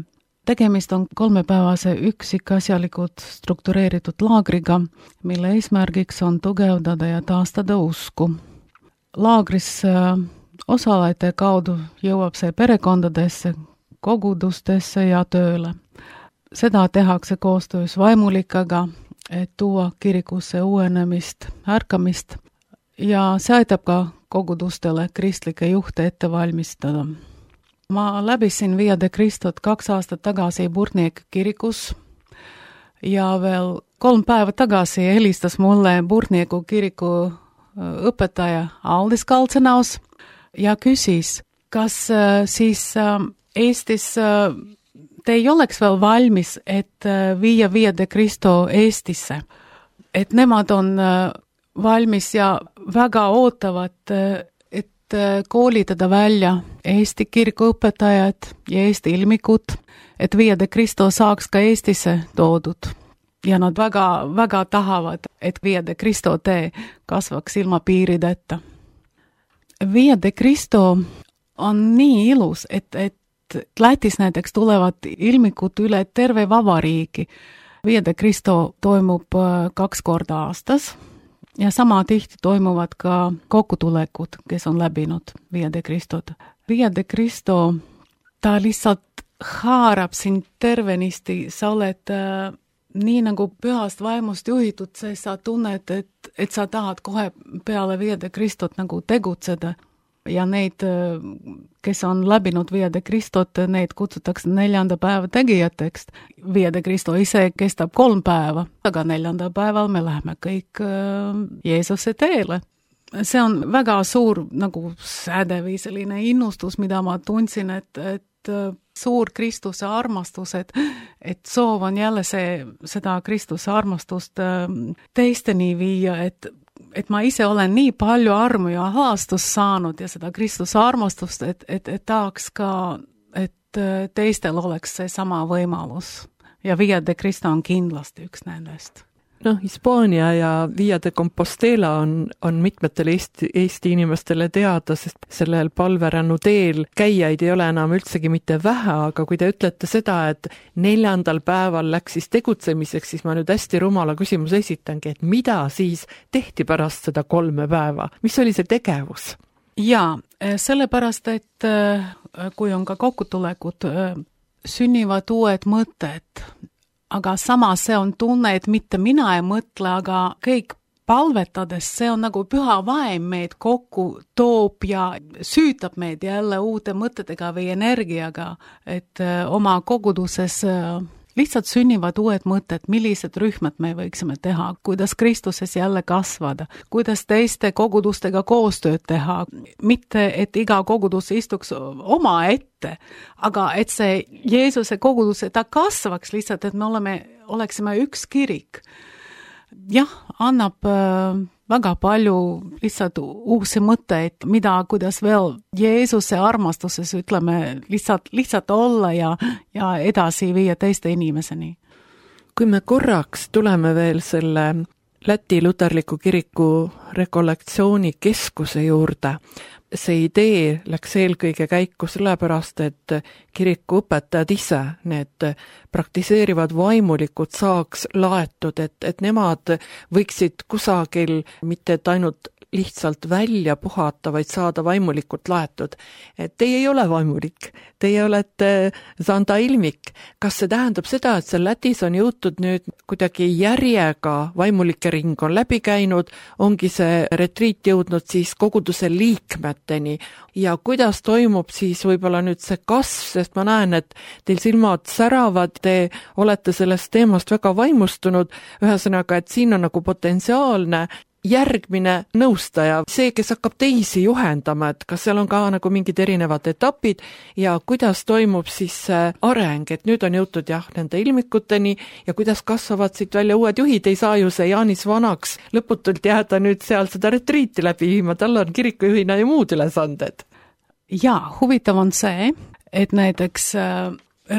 C: Tegemist on kolmepäevase üksikasjalikult struktureeritud laagriga, mille eesmärgiks on tugevdada ja taastada usku. Laagris osalejate kaudu jõuab see perekondadesse, kogudustesse ja tööle. Seda tehakse koostöös vaimulikega, et tuua kirikusse uuenemist, ärkamist ja see aitab ka kogudustele kristlike juhte ette valmistada. Ma läbisin Via de Cristot kaks aastat tagasi Burniek kirikus ja veel kolm päeva tagasi helistas mulle Burnieku kiriku õpetaja Aldis Kaltsenaus ja küsis, kas siis Eestis te ei oleks veel valmis, et viia Via de Cristo Eestisse. Et nemad on valmis ja väga ootavad, et koolitada välja Eesti kirikuõpetajad ja Eesti ilmikud, et Via de Cristo saaks ka Eestisse toodud. Ja nad väga, väga tahavad, et Via de Cristo tee kasvaks ilma piirideta. Via de Cristo on nii ilus, et, et Lätis näiteks tulevad ilmikud üle terve vabariigi. Via de Cristo toimub kaks korda aastas ja sama tihti toimuvad ka kokkutulekud, kes on läbinud Via de Cristot. Via de Cristo, ta lihtsalt haarab sind tervenisti, sa oled äh, nii nagu pühast vaimust juhitud, sest sa tunned, et, et sa tahad kohe peale Via de Cristot nagu tegutseda. Ja neid, kes on läbinud Via de Cristot, neid kutsutakse neljanda päeva tegijateks. Via de Cristo ise kestab kolm päeva, aga neljanda päeval me läheme kõik Jeesuse teele. See on väga suur nagu säde või selline innustus, mida ma tundsin, et, et suur Kristuse armastus, et, et soov on jälle see, seda Kristuse armastust teisteni viia, et et ma ise olen nii palju armu ja haastust saanud ja seda Kristuse armastust, et, et, et tahaks ka, et teistel oleks see sama võimalus. Ja Via de Cristo on kindlasti üks nendest.
B: Noh, Hispaania ja Via de Compostela on, on mitmetele Eesti, Eesti inimestele teada, sest sellel palverännu teel käijaid ei ole enam üldsegi mitte vähe, aga kui te ütlete seda, et neljandal päeval läks siis tegutsemiseks, siis ma nüüd hästi rumala küsimuse esitangi, et mida siis tehti pärast seda kolme päeva? Mis oli see tegevus?
C: Jaa, sellepärast, et kui on ka kokkutulekud, sünnivad uued mõtted, aga samas see on tunne, et mitte mina ei mõtle, aga kõik palvetades, see on nagu püha vaim meid kokku toob ja süütab meid jälle uute mõtetega või energiaga, et oma koguduses lihtsalt sünnivad uued mõtted, millised rühmad me võiksime teha, kuidas Kristuses jälle kasvada, kuidas teiste kogudustega koostööd teha, mitte et iga kogudus istuks oma ette, aga et see Jeesuse kogudus, ta kasvaks lihtsalt, et me oleme, oleksime üks kirik. Jah, annab äh, väga palju lihtsalt uusi mõtteid, mida, kuidas veel Jeesuse armastuses, ütleme, lihtsalt, lihtsalt olla ja, ja edasi viia teiste inimeseni.
B: Kui me korraks tuleme veel selle Läti luterliku kiriku rekollektsiooni keskuse juurde, see idee läks eelkõige käiku sellepärast, et kiriku õpetajad ise, need praktiseerivad vaimulikud saaks laetud, et, et nemad võiksid kusagil mitte et ainult lihtsalt välja puhata, vaid saada vaimulikult laetud. Et teie ei ole vaimulik, teie olete Zanda ilmik. Kas see tähendab seda, et see Lätis on jõutud nüüd kuidagi järjega, vaimulike ring on läbi käinud, ongi see retriit jõudnud siis koguduse liikmeteni ja kuidas toimub siis võib-olla nüüd see kasv, sest ma näen, et teil silmad säravad, te olete sellest teemast väga vaimustunud, ühesõnaga, et siin on nagu potentsiaalne järgmine nõustaja, see, kes hakkab teisi juhendama, et kas seal on ka nagu mingid erinevad etapid ja kuidas toimub siis areng, et nüüd on jõutud jah nende ilmikuteni ja kuidas kasvavad siit välja uued juhid, ei saa ju see Jaanis vanaks lõputult jääda nüüd seal seda retriiti läbi viima, tal on kirikujuhina ju muud ülesanded.
C: Ja, huvitav on see, et näiteks äh,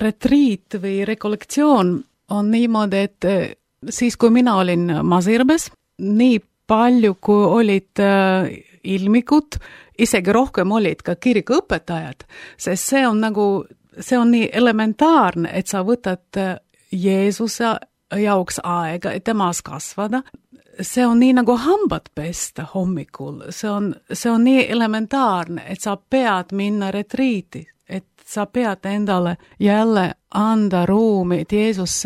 C: retriit või rekollektsioon on niimoodi, et äh, siis kui mina olin Masirbes, nii palju, kui olid äh, ilmikud, isegi rohkem olid ka kirikuõpetajad, sest see on nagu, see on nii elementaarne, et sa võtad Jeesuse jaoks aega, et temas kasvada. See on nii nagu hambad pesta hommikul, see on, see on nii elementaarne, et sa pead minna retriiti, et sa pead endale jälle anda ruumi, et Jeesus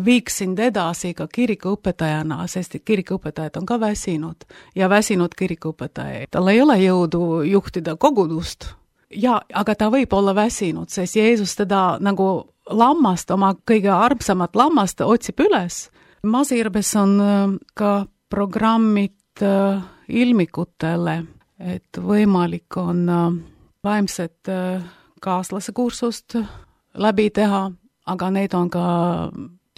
C: viiks sind edasi ka kirikuõpetajana, sest kirikuõpetajad on ka väsinud ja väsinud kirikuõpetaja. Tal ei ole jõudu juhtida kogudust, ja, aga ta võib olla väsinud, sest Jeesus teda nagu lammast, oma kõige armsamat lammast otsib üles. Masirbes on ka programmid äh, ilmikutele, et võimalik on äh, vaimset äh, kaaslase kursust läbi teha, aga need on ka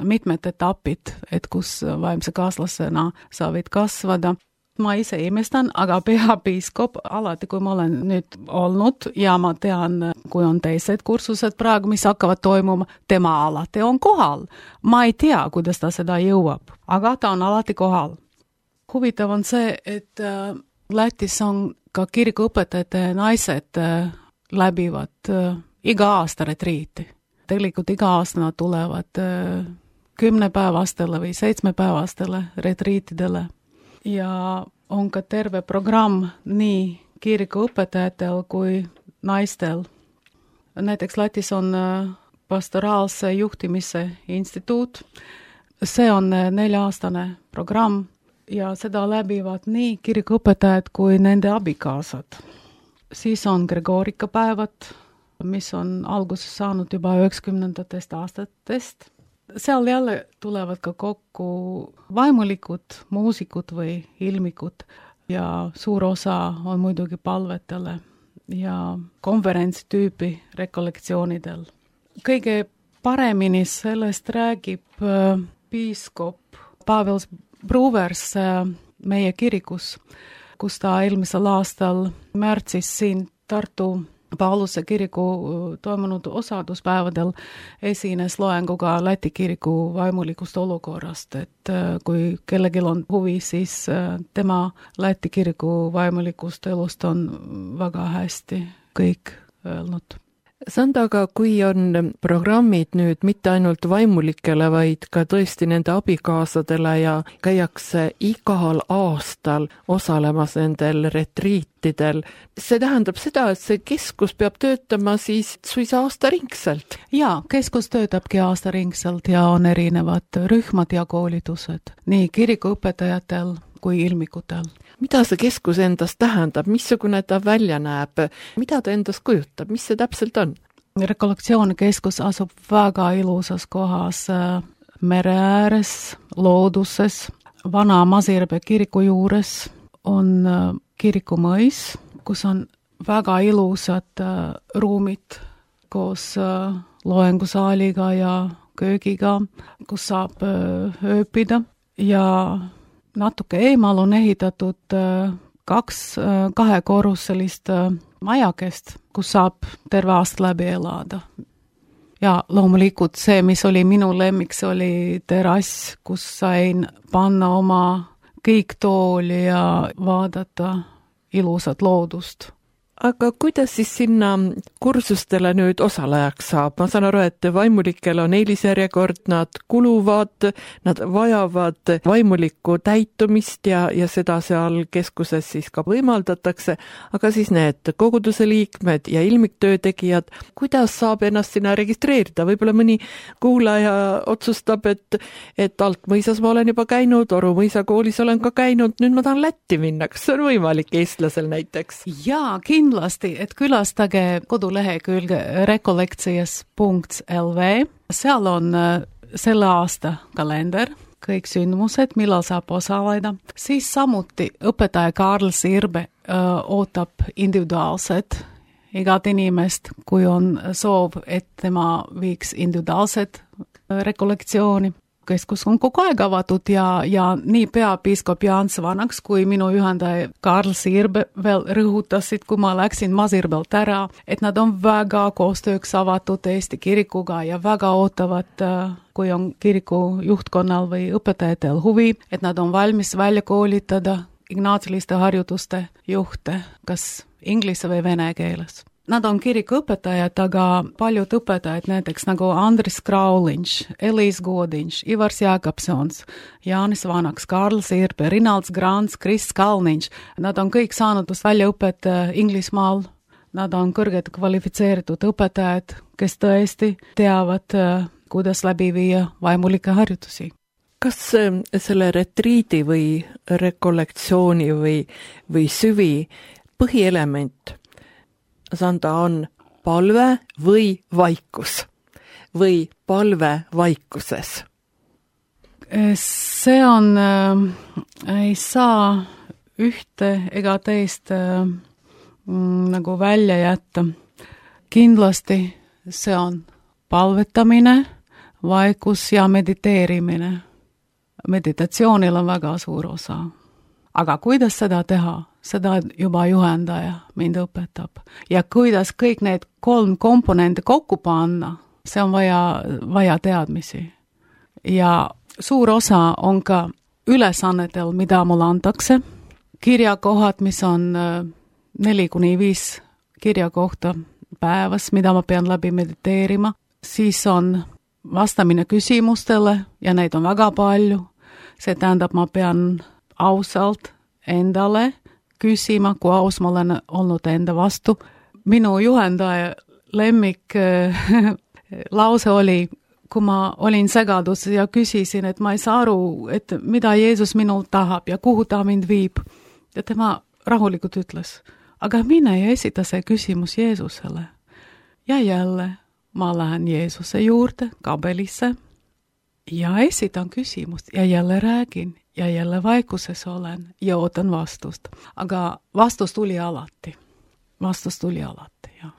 C: mitmed etapid, et kus vaimse kaaslasena sa võid kasvada. Ma ise imestan, aga peapiiskop alati, kui ma olen nüüd olnud ja ma tean, kui on teised kursused praegu, mis hakkavad toimuma, tema alati on kohal. Ma ei tea, kuidas ta seda jõuab, aga ta on alati kohal. Huvitav on see, et äh, Lätis on ka kirikuõpetajate naised äh, läbivad äh, iga aasta retriiti. Tegelikult iga aasta nad tulevad äh, kümnepäevastele või seitsmepäevastele retriitidele. Ja on ka terve programm nii kirikuõpetajatel kui naistel. Näiteks Lätis on pastoraalse juhtimise instituut. See on nelja-aastane programm ja seda läbivad nii kirikuõpetajad kui nende abikaasad. Siis on Gregorikapäevad, mis on alguses saanud juba üheksakümnendatest aastatest. Seal jälle tulevad ka kokku vaimulikud, muusikud või ilmikud ja suur osa on muidugi palvetele ja konverentsi tüüpi rekollektsioonidel. Kõige paremini sellest räägib äh, piiskop Pavel Bruvers äh, meie kirikus, kus ta eelmisel aastal märtsis siin Tartu Pauluse kiriku toimunud osaduspäevadel esines loenguga Läti kiriku vaimulikust olukorrast, et kui kellelgi on huvi, siis tema Läti kiriku vaimulikust elust on väga hästi kõik öelnud.
B: Sanda, aga kui on programmid nüüd mitte ainult vaimulikele, vaid ka tõesti nende abikaasadele ja käiakse igal aastal osalemas nendel retriitidel, see tähendab seda, et see keskus peab töötama siis suisa aastaringselt?
C: Jaa, keskus töötabki aastaringselt ja on erinevad rühmad ja koolitused, nii kirikuõpetajatel kui ilmikutel.
B: Mida see keskus endast tähendab, missugune ta välja näeb, mida ta endast kujutab, mis see täpselt on?
C: Rekollektsioonekeskus asub väga ilusas kohas mere ääres, looduses, vana Masirbe kiriku juures on kirikumõis, kus on väga ilusad ruumid koos loengusaaliga ja köögiga, kus saab ööpida ja natuke eemal on ehitatud kaks kahekorruselist majakest, kus saab terve aasta läbi elada. Ja loomulikult see, mis oli minu lemmiks, oli terrass, kus sain panna oma kiiktooli ja vaadata ilusat loodust.
B: Aga kuidas siis sinna kursustele nüüd osalejaks saab? Ma saan aru, et vaimulikel on eelisjärjekord, nad kuluvad, nad vajavad vaimulikku täitumist ja, ja seda seal keskuses siis ka võimaldatakse, aga siis need koguduse liikmed ja ilmiktöö tegijad, kuidas saab ennast sinna registreerida? Võib-olla mõni kuulaja otsustab, et, et Altmõisas ma olen juba käinud, Oru mõisa koolis olen ka käinud, nüüd ma tahan Lätti minna, kas see on võimalik eestlasel näiteks?
C: Jaa, kindlasti. Kindlasti, et külastage kodulehekülge rekolektsias punkt l v. Seal on selle aasta kalender, kõik sündmused, millal saab osaleda. Siis samuti õpetaja Karl Sirbe öö, ootab individuaalset igat inimest, kui on soov, et tema viiks individuaalset rekollektsiooni. Keskus on kogu aeg avatud ja, ja nii peapiiskop Jaan Svanaks kui minu juhendaja Karl Sirbe veel rõhutasid, kui ma läksin Masirbelt ära, et nad on väga koostööks avatud Eesti kirikuga ja väga ootavad, kui on kiriku juhtkonnal või õpetajatel huvi, et nad on valmis välja koolitada ignaatsiliste harjutuste juhte, kas inglise või vene keeles. Nad on kirikuõpetajad, aga paljud õpetajad, näiteks nagu Andris Kraulinš, Eliis Godiņš, Ivars Jākapsons, Jānis Vanaks, Karl Sirbe, Rinalds Grants, Kris Kalniņš, nad on kõik saanud väljaõpet Inglismaal. Nad on kõrged kvalifitseeritud õpetajad, kes tõesti teavad, kuidas läbi viia vaimulikke harjutusi.
B: Kas selle retriidi või rekollektsiooni või, või süvi põhielement Sanda on palve või vaikus või palve vaikuses?
C: See on, äh, ei saa ühte ega teist äh, mm, nagu välja jätta. Kindlasti see on palvetamine, vaikus ja mediteerimine. Meditatsioonil on väga suur osa. Aga kuidas seda teha? Seda juba juhendaja mind õpetab. Ja kuidas kõik need kolm komponente kokku panna, see on vaja, vaja teadmisi. Ja suur osa on ka ülesannetel, mida mulle antakse. Kirjakohad, mis on neli kuni viis kirjakohta päevas, mida ma pean läbi mediteerima. Siis on vastamine küsimustele ja neid on väga palju. See tähendab, ma pean ausalt endale küsima, kui aus ma olen olnud enda vastu. Minu juhendaja lemmik lause oli, kui ma olin segadus ja küsisin, et ma ei saa aru, et mida Jeesus minult tahab ja kuhu ta mind viib. Ja tema rahulikult ütles, aga mine ja esita see küsimus Jeesusele. Ja jälle ma lähen Jeesuse juurde, kabelisse ja esitan küsimust ja jälle räägin ja jälle vaikuses olen ja ootan vastust. Aga vastus tuli alati. Vastus tuli alati, jah.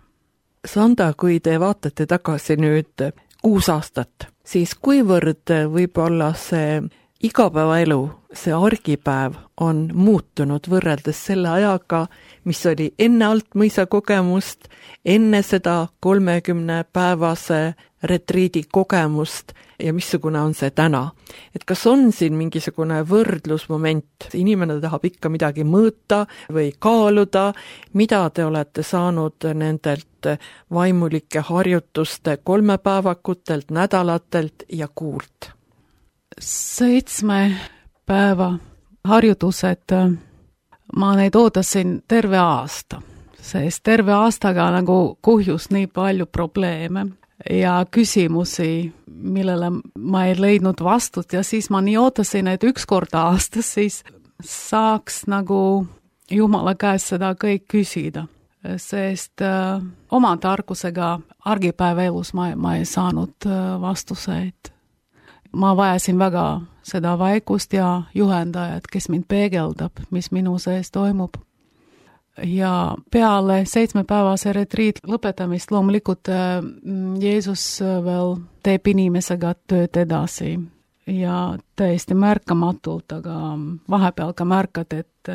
B: Sanda, kui te vaatate tagasi nüüd kuus aastat, siis kuivõrd võib-olla see igapäevaelu, see argipäev on muutunud võrreldes selle ajaga, mis oli enne Altmõisa kogemust, enne seda kolmekümne päevase retriidi kogemust ja missugune on see täna. Et kas on siin mingisugune võrdlusmoment, inimene tahab ikka midagi mõõta või kaaluda, mida te olete saanud nendelt vaimulike harjutuste kolmepäevakutelt, nädalatelt ja kuult?
C: Seitsme päeva harjutused, ma neid ootasin terve aasta, sest terve aastaga nagu kuhjus nii palju probleeme ja küsimusi, millele ma ei leidnud vastut ja siis ma nii ootasin, et üks kord aastas siis saaks nagu Jumala käest seda kõik küsida, sest äh, oma tarkusega argipäeva elus ma, ma ei saanud äh, vastuseid. Ma vajasin väga seda vaikust ja juhendajat, kes mind peegeldab, mis minu sees toimub. Ja peale seitsmepäevase retriit lõpetamist loomulikult Jeesus veel teeb inimesega tööd edasi ja täiesti märkamatult, aga vahepeal ka märkad, et,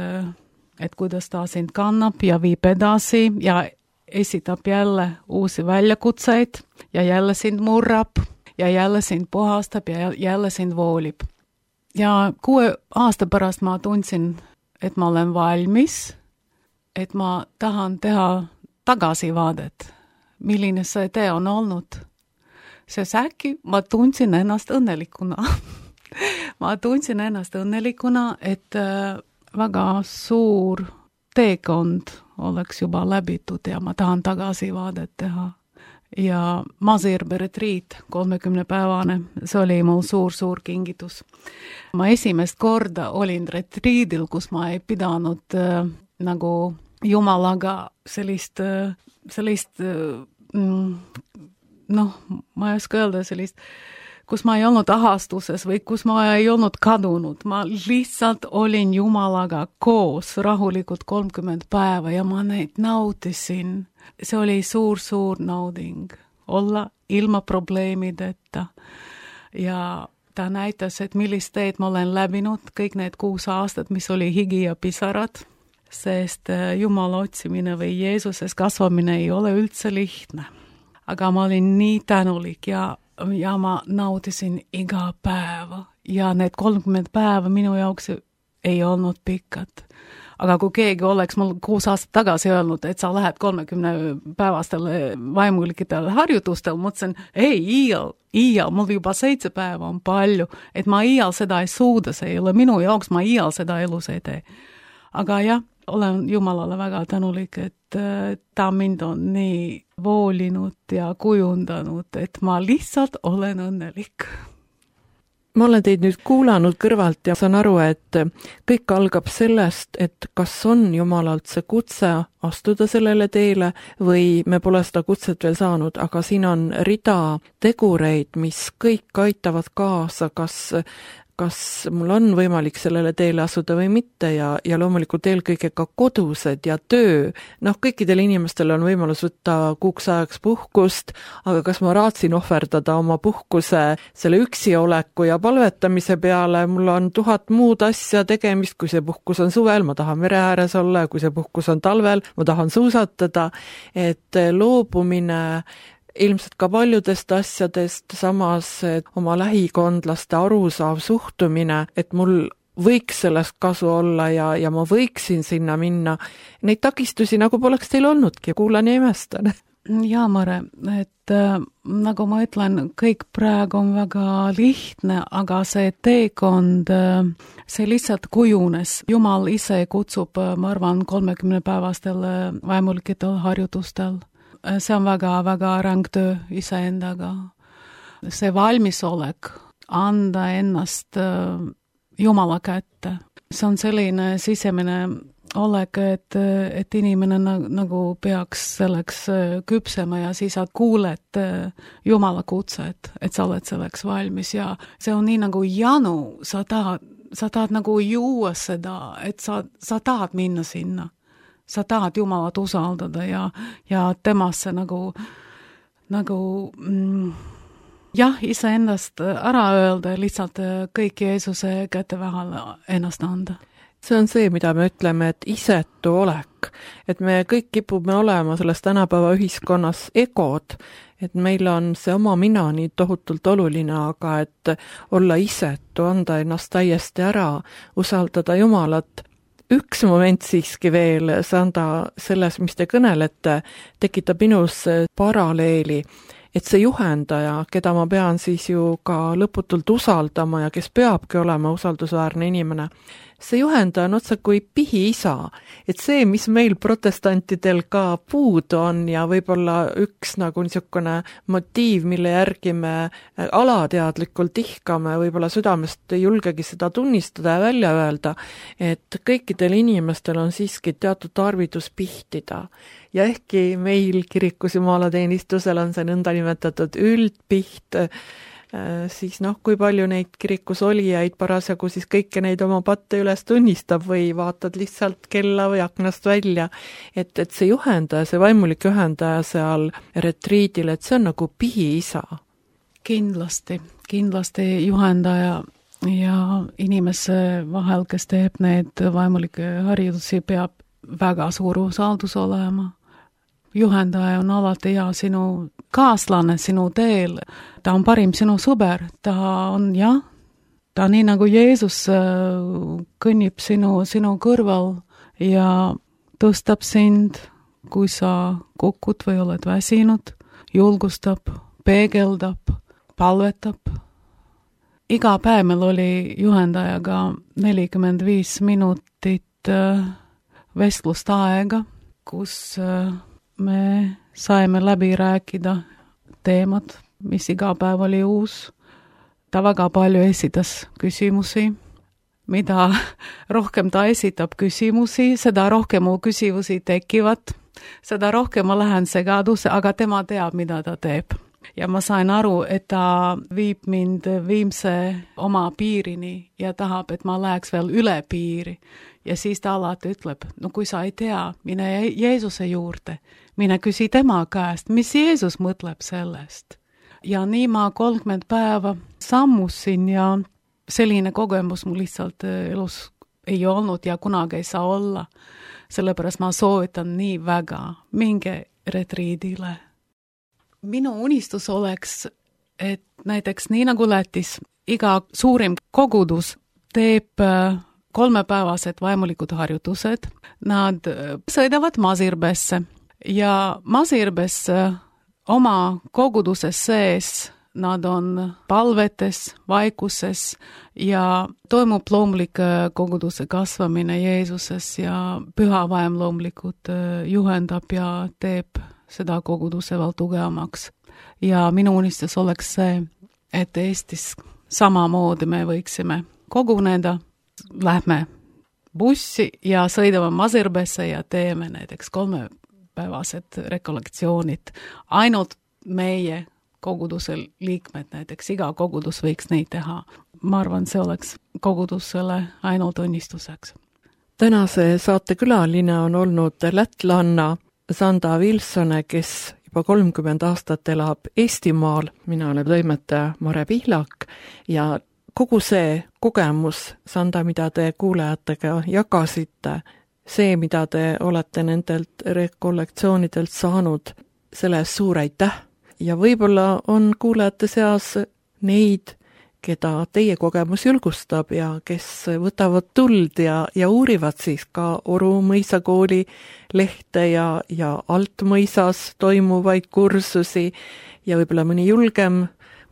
C: et kuidas ta sind kannab ja viib edasi ja esitab jälle uusi väljakutseid ja jälle sind murrab ja jälle sind puhastab ja jälle sind voolib. Ja kuue aasta pärast ma tundsin, et ma olen valmis, et ma tahan teha tagasivaadet, milline see tee on olnud. Sest äkki ma tundsin ennast õnnelikuna. ma tundsin ennast õnnelikuna, et väga suur teekond oleks juba läbitud ja ma tahan tagasivaadet teha. Ja Masirbe retriit, kolmekümne päevane, see oli mul suur-suur kingitus. Ma esimest korda olin retriidil, kus ma ei pidanud äh, nagu Jumalaga sellist, äh, sellist äh, noh, ma ei oska öelda sellist, kus ma ei olnud ahastuses või kus ma ei olnud kadunud. Ma lihtsalt olin Jumalaga koos rahulikult kolmkümmend päeva ja ma neid nautisin. See oli suur-suur nauding, olla ilma probleemideta ja ta näitas, et millist teed ma olen läbinud kõik need kuus aastat, mis oli higi ja pisarad, sest Jumala otsimine või Jeesuses kasvamine ei ole üldse lihtne. Aga ma olin nii tänulik ja, ja ma nautisin iga päeva ja need kolmkümmend päeva minu jaoks ei olnud pikad. Aga kui keegi oleks mul kuus aastat tagasi öelnud, et sa lähed kolmekümne päevastele vaimulikitele harjutustel, mõtlesin, ei, iial, iial, mul juba seitse päeva on palju, et ma iial seda ei suuda, see ei ole minu jaoks, ma iial seda elus ei tee. Aga jah, olen Jumalale väga tänulik, et ta mind on nii voolinud ja kujundanud, et ma lihtsalt olen õnnelik.
B: Ma olen teid nüüd kuulanud kõrvalt ja saan aru, et kõik algab sellest, et kas on Jumalalt see kutse astuda sellele teele või me pole seda kutset veel saanud, aga siin on rida tegureid, mis kõik aitavad kaasa kas kas mul on võimalik sellele teele asuda või mitte ja, ja loomulikult eelkõige ka kodused ja töö. Noh, kõikidel inimestel on võimalus võtta kuuks ajaks puhkust, aga kas ma raatsin ohverdada oma puhkuse selle üksi oleku ja palvetamise peale, mul on tuhat muud asja tegemist, kui see puhkus on suvel, ma tahan mere ääres olla ja kui see puhkus on talvel, ma tahan suusatada, et loobumine ilmselt ka paljudest asjadest, samas oma lähikondlaste arusaav suhtumine, et mul võiks sellest kasu olla ja, ja ma võiksin sinna minna. Neid takistusi nagu poleks teil olnudki, kuulan ja imestan.
C: Jaa, Mare, et äh, nagu ma ütlen, kõik praegu on väga lihtne, aga see teekond, äh, see lihtsalt kujunes. Jumal ise kutsub, ma arvan, kolmekümne päevastel vaimulikitel harjutustel. See on väga-väga ränk töö iseendaga. See valmisolek anda ennast Jumala kätte. See on selline sisemine olek, et, et inimene nagu peaks selleks küpsema ja siis sa kuuled Jumala kutset, et sa oled selleks valmis ja see on nii nagu janu, sa tahad, sa tahad nagu juua seda, et sa, sa tahad minna sinna. Sa tahad Jumalat usaldada ja, ja temasse nagu, nagu mm, jah, iseendast ära öelda, lihtsalt kõik Jeesuse kätte vahele ennast anda.
B: See on see, mida me ütleme, et isetu olek. Et me kõik kipume olema selles tänapäeva ühiskonnas egod, et meil on see oma mina nii tohutult oluline, aga et olla isetu, anda ennast täiesti ära, usaldada Jumalat. Üks moment siiski veel, Sanda, selles, mis te kõnelete, tekitab minus paralleeli, et see juhendaja, keda ma pean siis ju ka lõputult usaldama ja kes peabki olema usaldusväärne inimene, see juhendaja on otsa kui pihiisa, et see, mis meil protestantidel ka puudu on ja võib-olla üks nagu niisugune motiiv, mille järgi me alateadlikult ihkame, võib-olla südamest ei julgegi seda tunnistada ja välja öelda, et kõikidel inimestel on siiski teatud tarvidus pihtida. Ja ehkki meil kirikus jumalateenistusel on see nõndanimetatud üldpiht, siis noh, kui palju neid kirikus olijaid parasjagu siis kõike neid oma patte üles tunnistab või vaatad lihtsalt kella või aknast välja, et, et see juhendaja, see vaimulik juhendaja seal retriidil, et see on nagu pihiisa.
C: Kindlasti, kindlasti juhendaja ja inimese vahel, kes teeb need vaimulike harjutusi, peab väga suur usaldus olema. Juhendaja on alati hea sinu kaaslane sinu teel, ta on parim sinu sõber, ta on jah, ta nii nagu Jeesus kõnnib sinu, sinu kõrval ja tõstab sind, kui sa kukud või oled väsinud, julgustab, peegeldab, palvetab. Iga päev meil oli juhendajaga nelikümmend viis minutit vestlust aega, kus me saime läbi rääkida teemad, mis iga päev oli uus. Ta väga palju esitas küsimusi. Mida rohkem ta esitab küsimusi, seda rohkem mu küsimusi tekivad, seda rohkem ma lähen segaduse, aga tema teab, mida ta teeb. Ja ma sain aru, et ta viib mind viimse oma piirini ja tahab, et ma läheks veel üle piiri. Ja siis ta alati ütleb, no kui sa ei tea, mine Jeesuse juurde, mine küsi tema käest, mis Jeesus mõtleb sellest. Ja nii ma kolmkümmend päeva sammusin ja selline kogemus mul lihtsalt elus ei olnud ja kunagi ei saa olla. Sellepärast ma soovitan nii väga, minge retriidile. Minu unistus oleks, et näiteks nii nagu Lätis, iga suurim kogudus teeb kolmepäevased vaimulikud harjutused. Nad sõidavad Masirbesse ja Masirbes oma koguduses sees nad on palvetes, vaikuses ja toimub loomulik koguduse kasvamine Jeesuses ja püha vaim loomulikult juhendab ja teeb seda koguduse veel tugevamaks. Ja minu unistus oleks see, et Eestis samamoodi me võiksime koguneda, lähme bussi ja sõidame Masirbesse ja teeme näiteks kolmepäevased rekollektsioonid. Ainult meie koguduse liikmed, näiteks iga kogudus võiks neid teha. ma arvan, see oleks kogudusele ainult õnnistuseks.
B: Tänase saate külaline on olnud lätlanna Sanda Vilsone, kes juba kolmkümmend aastat elab Eestimaal. Mina olen toimetaja Mare Pihlak ja kogu see kogemus, Sanda, mida te kuulajatega jagasite, see, mida te olete nendelt rekollektsioonidelt saanud, selle eest suur aitäh. Ja võib-olla on kuulajate seas neid, keda teie kogemus julgustab ja kes võtavad tuld ja, ja uurivad siis ka Oru mõisakooli lehte ja, ja Altmõisas toimuvaid kursusi ja võib-olla mõni julgem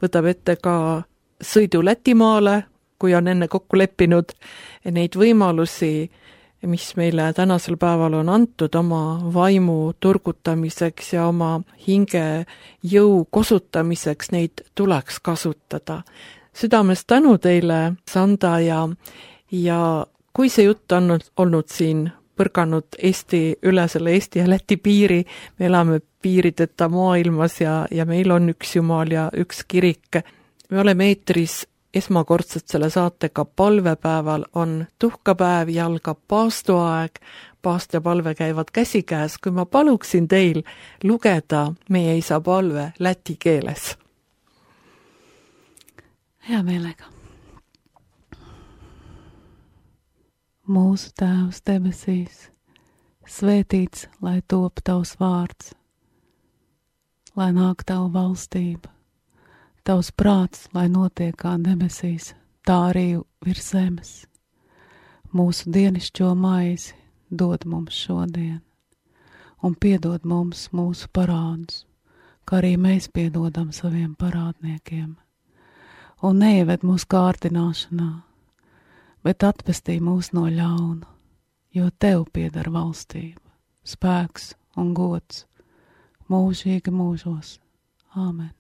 B: võtab ette ka sõidu Lätimaale, kui on enne kokku leppinud neid võimalusi, mis meile tänasel päeval on antud oma vaimu turgutamiseks ja oma hinge jõu kosutamiseks, neid tuleks kasutada. Südamest tänu teile, Sanda, ja, ja kui see jutt on olnud siin põrganud Eesti, üle selle Eesti ja Läti piiri, me elame piirideta maailmas ja, ja meil on üks Jumal ja üks kirik. Me oleme eetris esmakordselt selle saatega palvepäeval, on tuhkapäev ja algab paastuaeg, paast ja palve käivad käsikäes, kui ma paluksin teil lugeda meie isa palve läti keeles.
C: Hea meelega. Mūsu Tēvs debesīs, svētīts, lai top tavs vārds, lai nāk tavu valstība, tavs prāts, lai notiek kā debesīs, tā arī virs zemes. Mūsu dienišķo maizi dod mums šodien, un piedod mums mūsu parādus, kā arī mēs piedodam saviem parādniekiem. Un neieved mūsu kārdināšanā, bet atpestī mūs no ļauna, jo tev pieder valstība, spēks un gods mūžīgi mūžos. Āmen.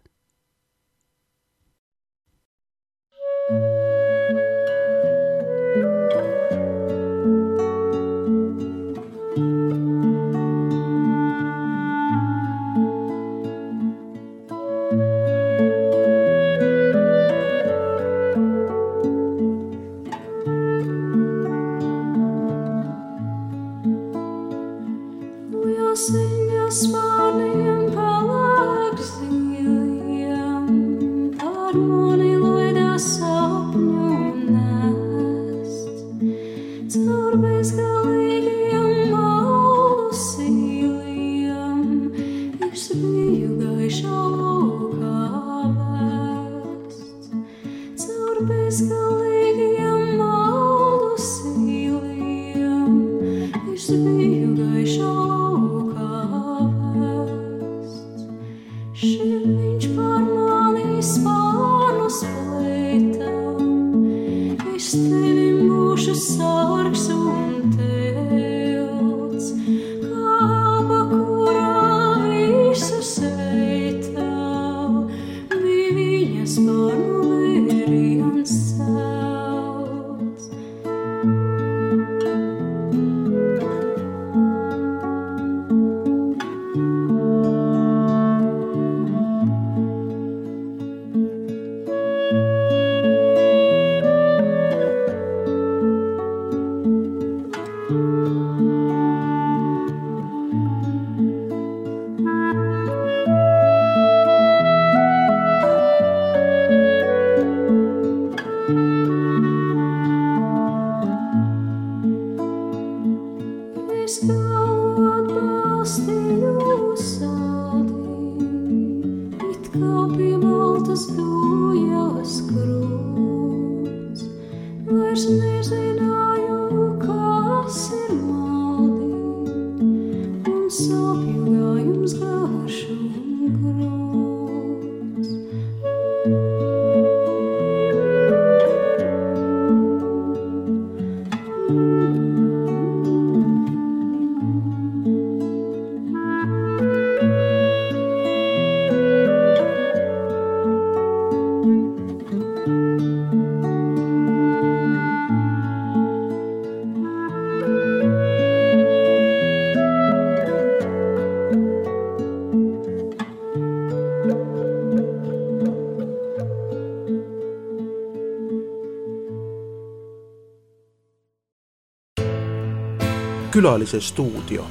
D: Külalise stuudio.